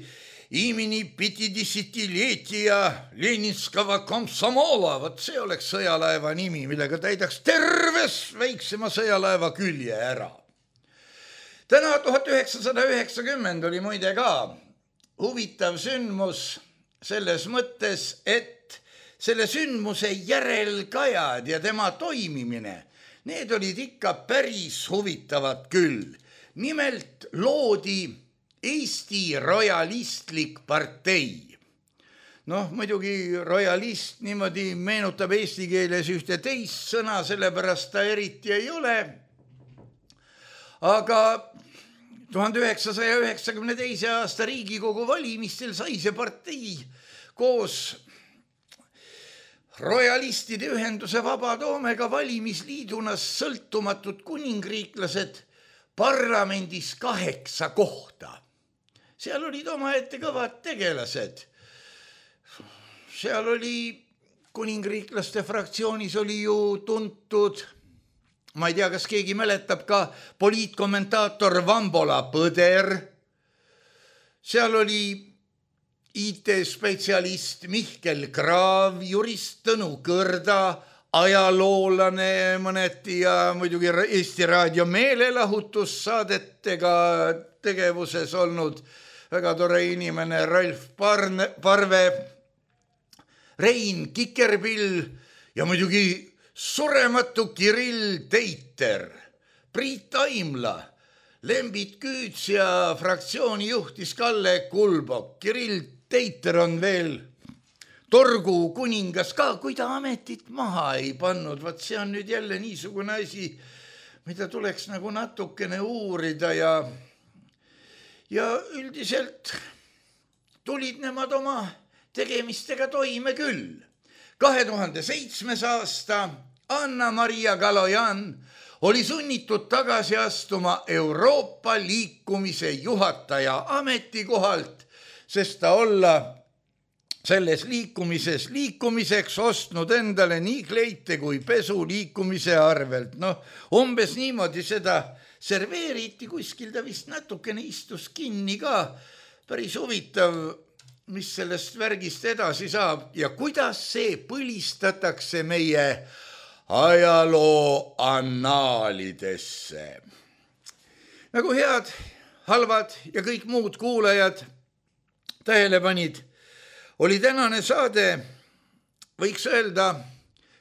Imini pitidisitilietija Leninskava komsomola, vot see oleks sõjalaeva nimi, millega täidaks terves väiksema sõjalaeva külje ära. Täna tuhat üheksasada üheksakümmend oli muide ka huvitav sündmus selles mõttes, et selle sündmuse järelkajad ja tema toimimine, need olid ikka päris huvitavad küll. Nimelt loodi Eesti rojalistlik partei. Noh, muidugi rojalist niimoodi meenutab eesti keeles ühte teist sõna, sellepärast ta eriti ei ole. Aga tuhande üheksasaja üheksakümne teise aasta Riigikogu valimistel sai see partei koos rojalistide ühenduse Vabatoomega valimisliiduna sõltumatud kuningriiklased parlamendis kaheksa kohta. Seal olid omaette kõvad tegelased. Seal oli kuningriiklaste fraktsioonis oli ju tuntud, ma ei tea, kas keegi mäletab ka poliitkommentaator Vambola Põder. Seal oli I T-spetsialist Mihkel Kraav, jurist Tõnu Kõrda, ajaloolane mõneti ja muidugi Eesti Raadio meelelahutussaadetega tegevuses olnud väga tore inimene Ralf Parne, Parve, Rein Kikerpill ja muidugi surematu Kirill Teiter, Priit Aimla, Lembit Küüts ja fraktsiooni juhtis Kalle Kulbok. Kirill Teiter on veel torgu kuningas ka, kui ta ametit maha ei pannud. Vaat see on nüüd jälle niisugune asi, mida tuleks nagu natukene uurida ja, ja üldiselt tulid nemad oma tegemistega toime küll. kahe tuhande seitsmes aasta Anna-Maria Kalojan oli sunnitud tagasi astuma Euroopa liikumise juhataja ametikohalt, sest ta olla selles liikumises liikumiseks ostnud endale nii kleite kui pesu liikumise arvelt. Noh, umbes niimoodi seda serveeriti, kuskil ta vist natukene istus kinni ka. Päris huvitav, mis sellest värgist edasi saab ja kuidas see põlistatakse meie ajaloo annaalidesse. Nagu head, halvad ja kõik muud kuulajad tähele panid, oli tänane saade, võiks öelda,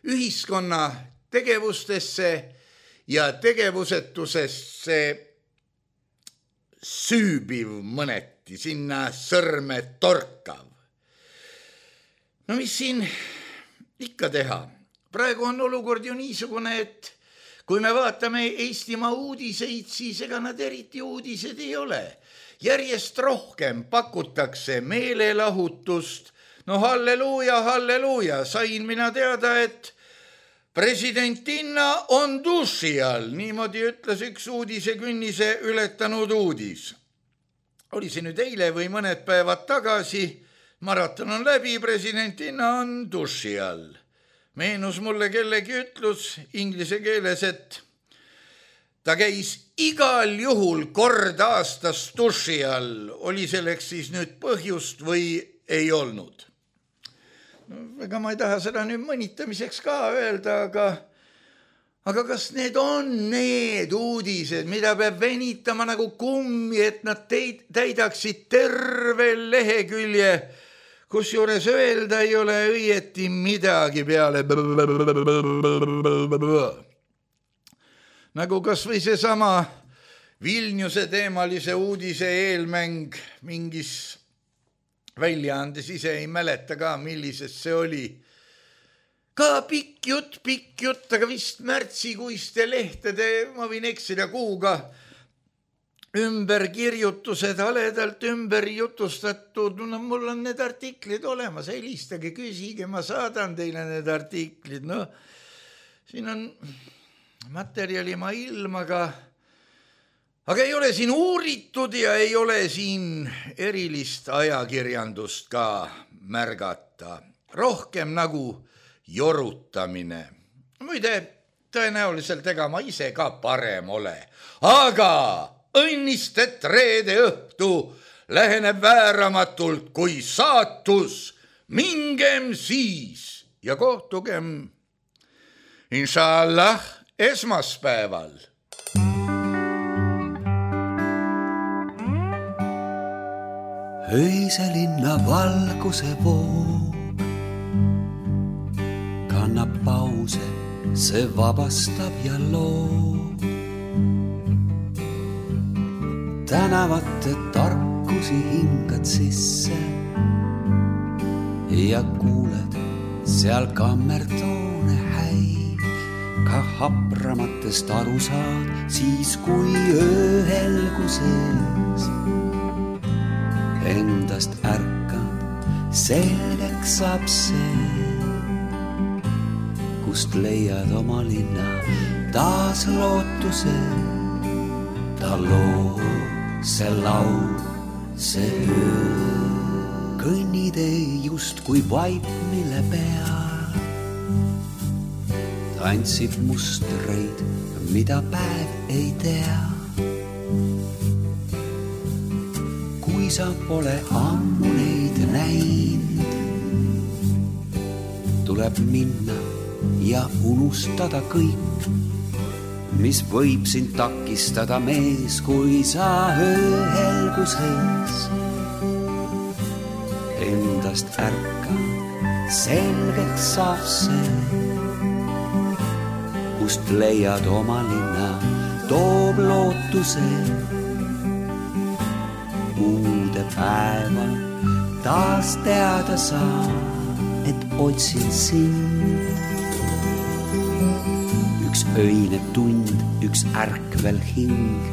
ühiskonna tegevustesse ja tegevusetusesse süübiv mõneti, sinna sõrme torkav. No mis siin ikka teha? Praegu on olukord ju niisugune, et kui me vaatame Eestimaa uudiseid, siis ega nad eriti uudised ei ole. Järjest rohkem pakutakse meelelahutust. No halleluuja, halleluuja, sain mina teada, et presidentinna on duši all. Niimoodi ütles üks uudisekünnise ületanud uudis. oli see nüüd eile või mõned päevad tagasi, maraton on läbi, presidentina on duši all. Meenus mulle kellegi ütlus inglise keeles, et ta käis igal juhul kord aastas duši all, oli selleks siis nüüd põhjust või ei olnud. No, ega ma ei taha seda nüüd mõnitamiseks ka öelda, aga Aga kas need on need uudised, mida peab venitama nagu kummi, et nad teid, täidaksid terve lehekülje, kus juures öelda ei ole õieti midagi peale. Nagu kas või see sama Vilniuse teemalise uudise eelmäng mingis väljaandes, ise ei mäleta ka, millises see oli. Ka pikk jutt, pikk jutt, aga vist märtsikuiste lehtede, ma võin eksida kuuga, ümberkirjutused, haledalt ümber jutustatud. No, mul on need artiklid olemas, helistage, küsige, ma saadan teile need artiklid. No, siin on materjali ma ilmaga, aga ei ole siin uuritud ja ei ole siin erilist ajakirjandust ka märgata. Rohkem nagu jorutamine. Muide, tõenäoliselt ega ma ise ka parem ole. Aga õnnist, et reede õhtu läheneb vääramatult kui saatus. Mingem siis ja kohtugem inshallah esmaspäeval. Öise linna valguse voog kannab pause, see vabastab ja loob. Tänavate tarkusi hingad sisse ja kuuled seal kammertoone häid. Ka hapramatest aru saad siis, kui ööhelguses endast ärkad, selgeks saab see, kust leiad oma linna taas lootuse. Ta loo, see laul, see öö. Kõnnitee just kui vaip, mille peal tantsib mustreid, mida päev ei tea. Kui sa pole ammu neid näinud, tuleb minna ja unustada kõik, mis võib sind takistada, mees, kui sa ööhelguses endast ärkad, selgeks saab see, kust leiad oma linna, toob lootuse. Uude päeva taas teada saa, et otsin sind. Üks öine tund, üks ärkvel hing,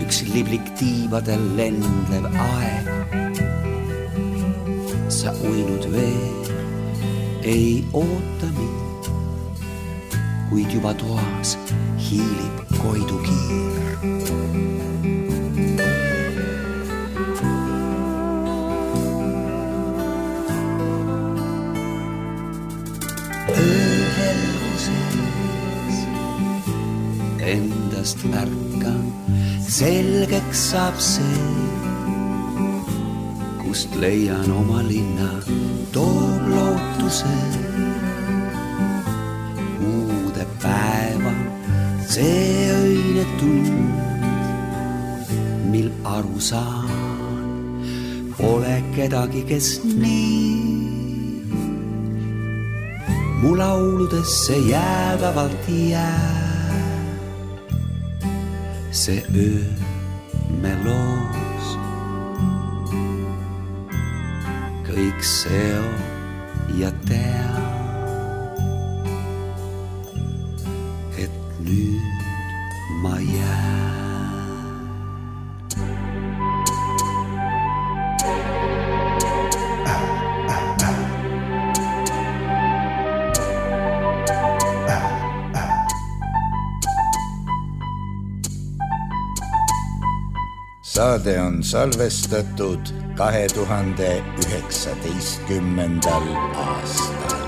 üks liblik tiivadel lendlev aeg. Sa uinud veel ei oota mind, kuid juba toas hiilib koidukiir. Endast märkan, selgeks saab see, kust leian oma linna, toob lootuse. Uude päeva, see öine tund, mil aru saan, pole kedagi, kes nii mu lauludesse jäädavalt jää. See öö me loos, kõik seo ja tea, et nüüd ma jään. saade on salvestatud kahe tuhande üheksateistkümnendal aastal.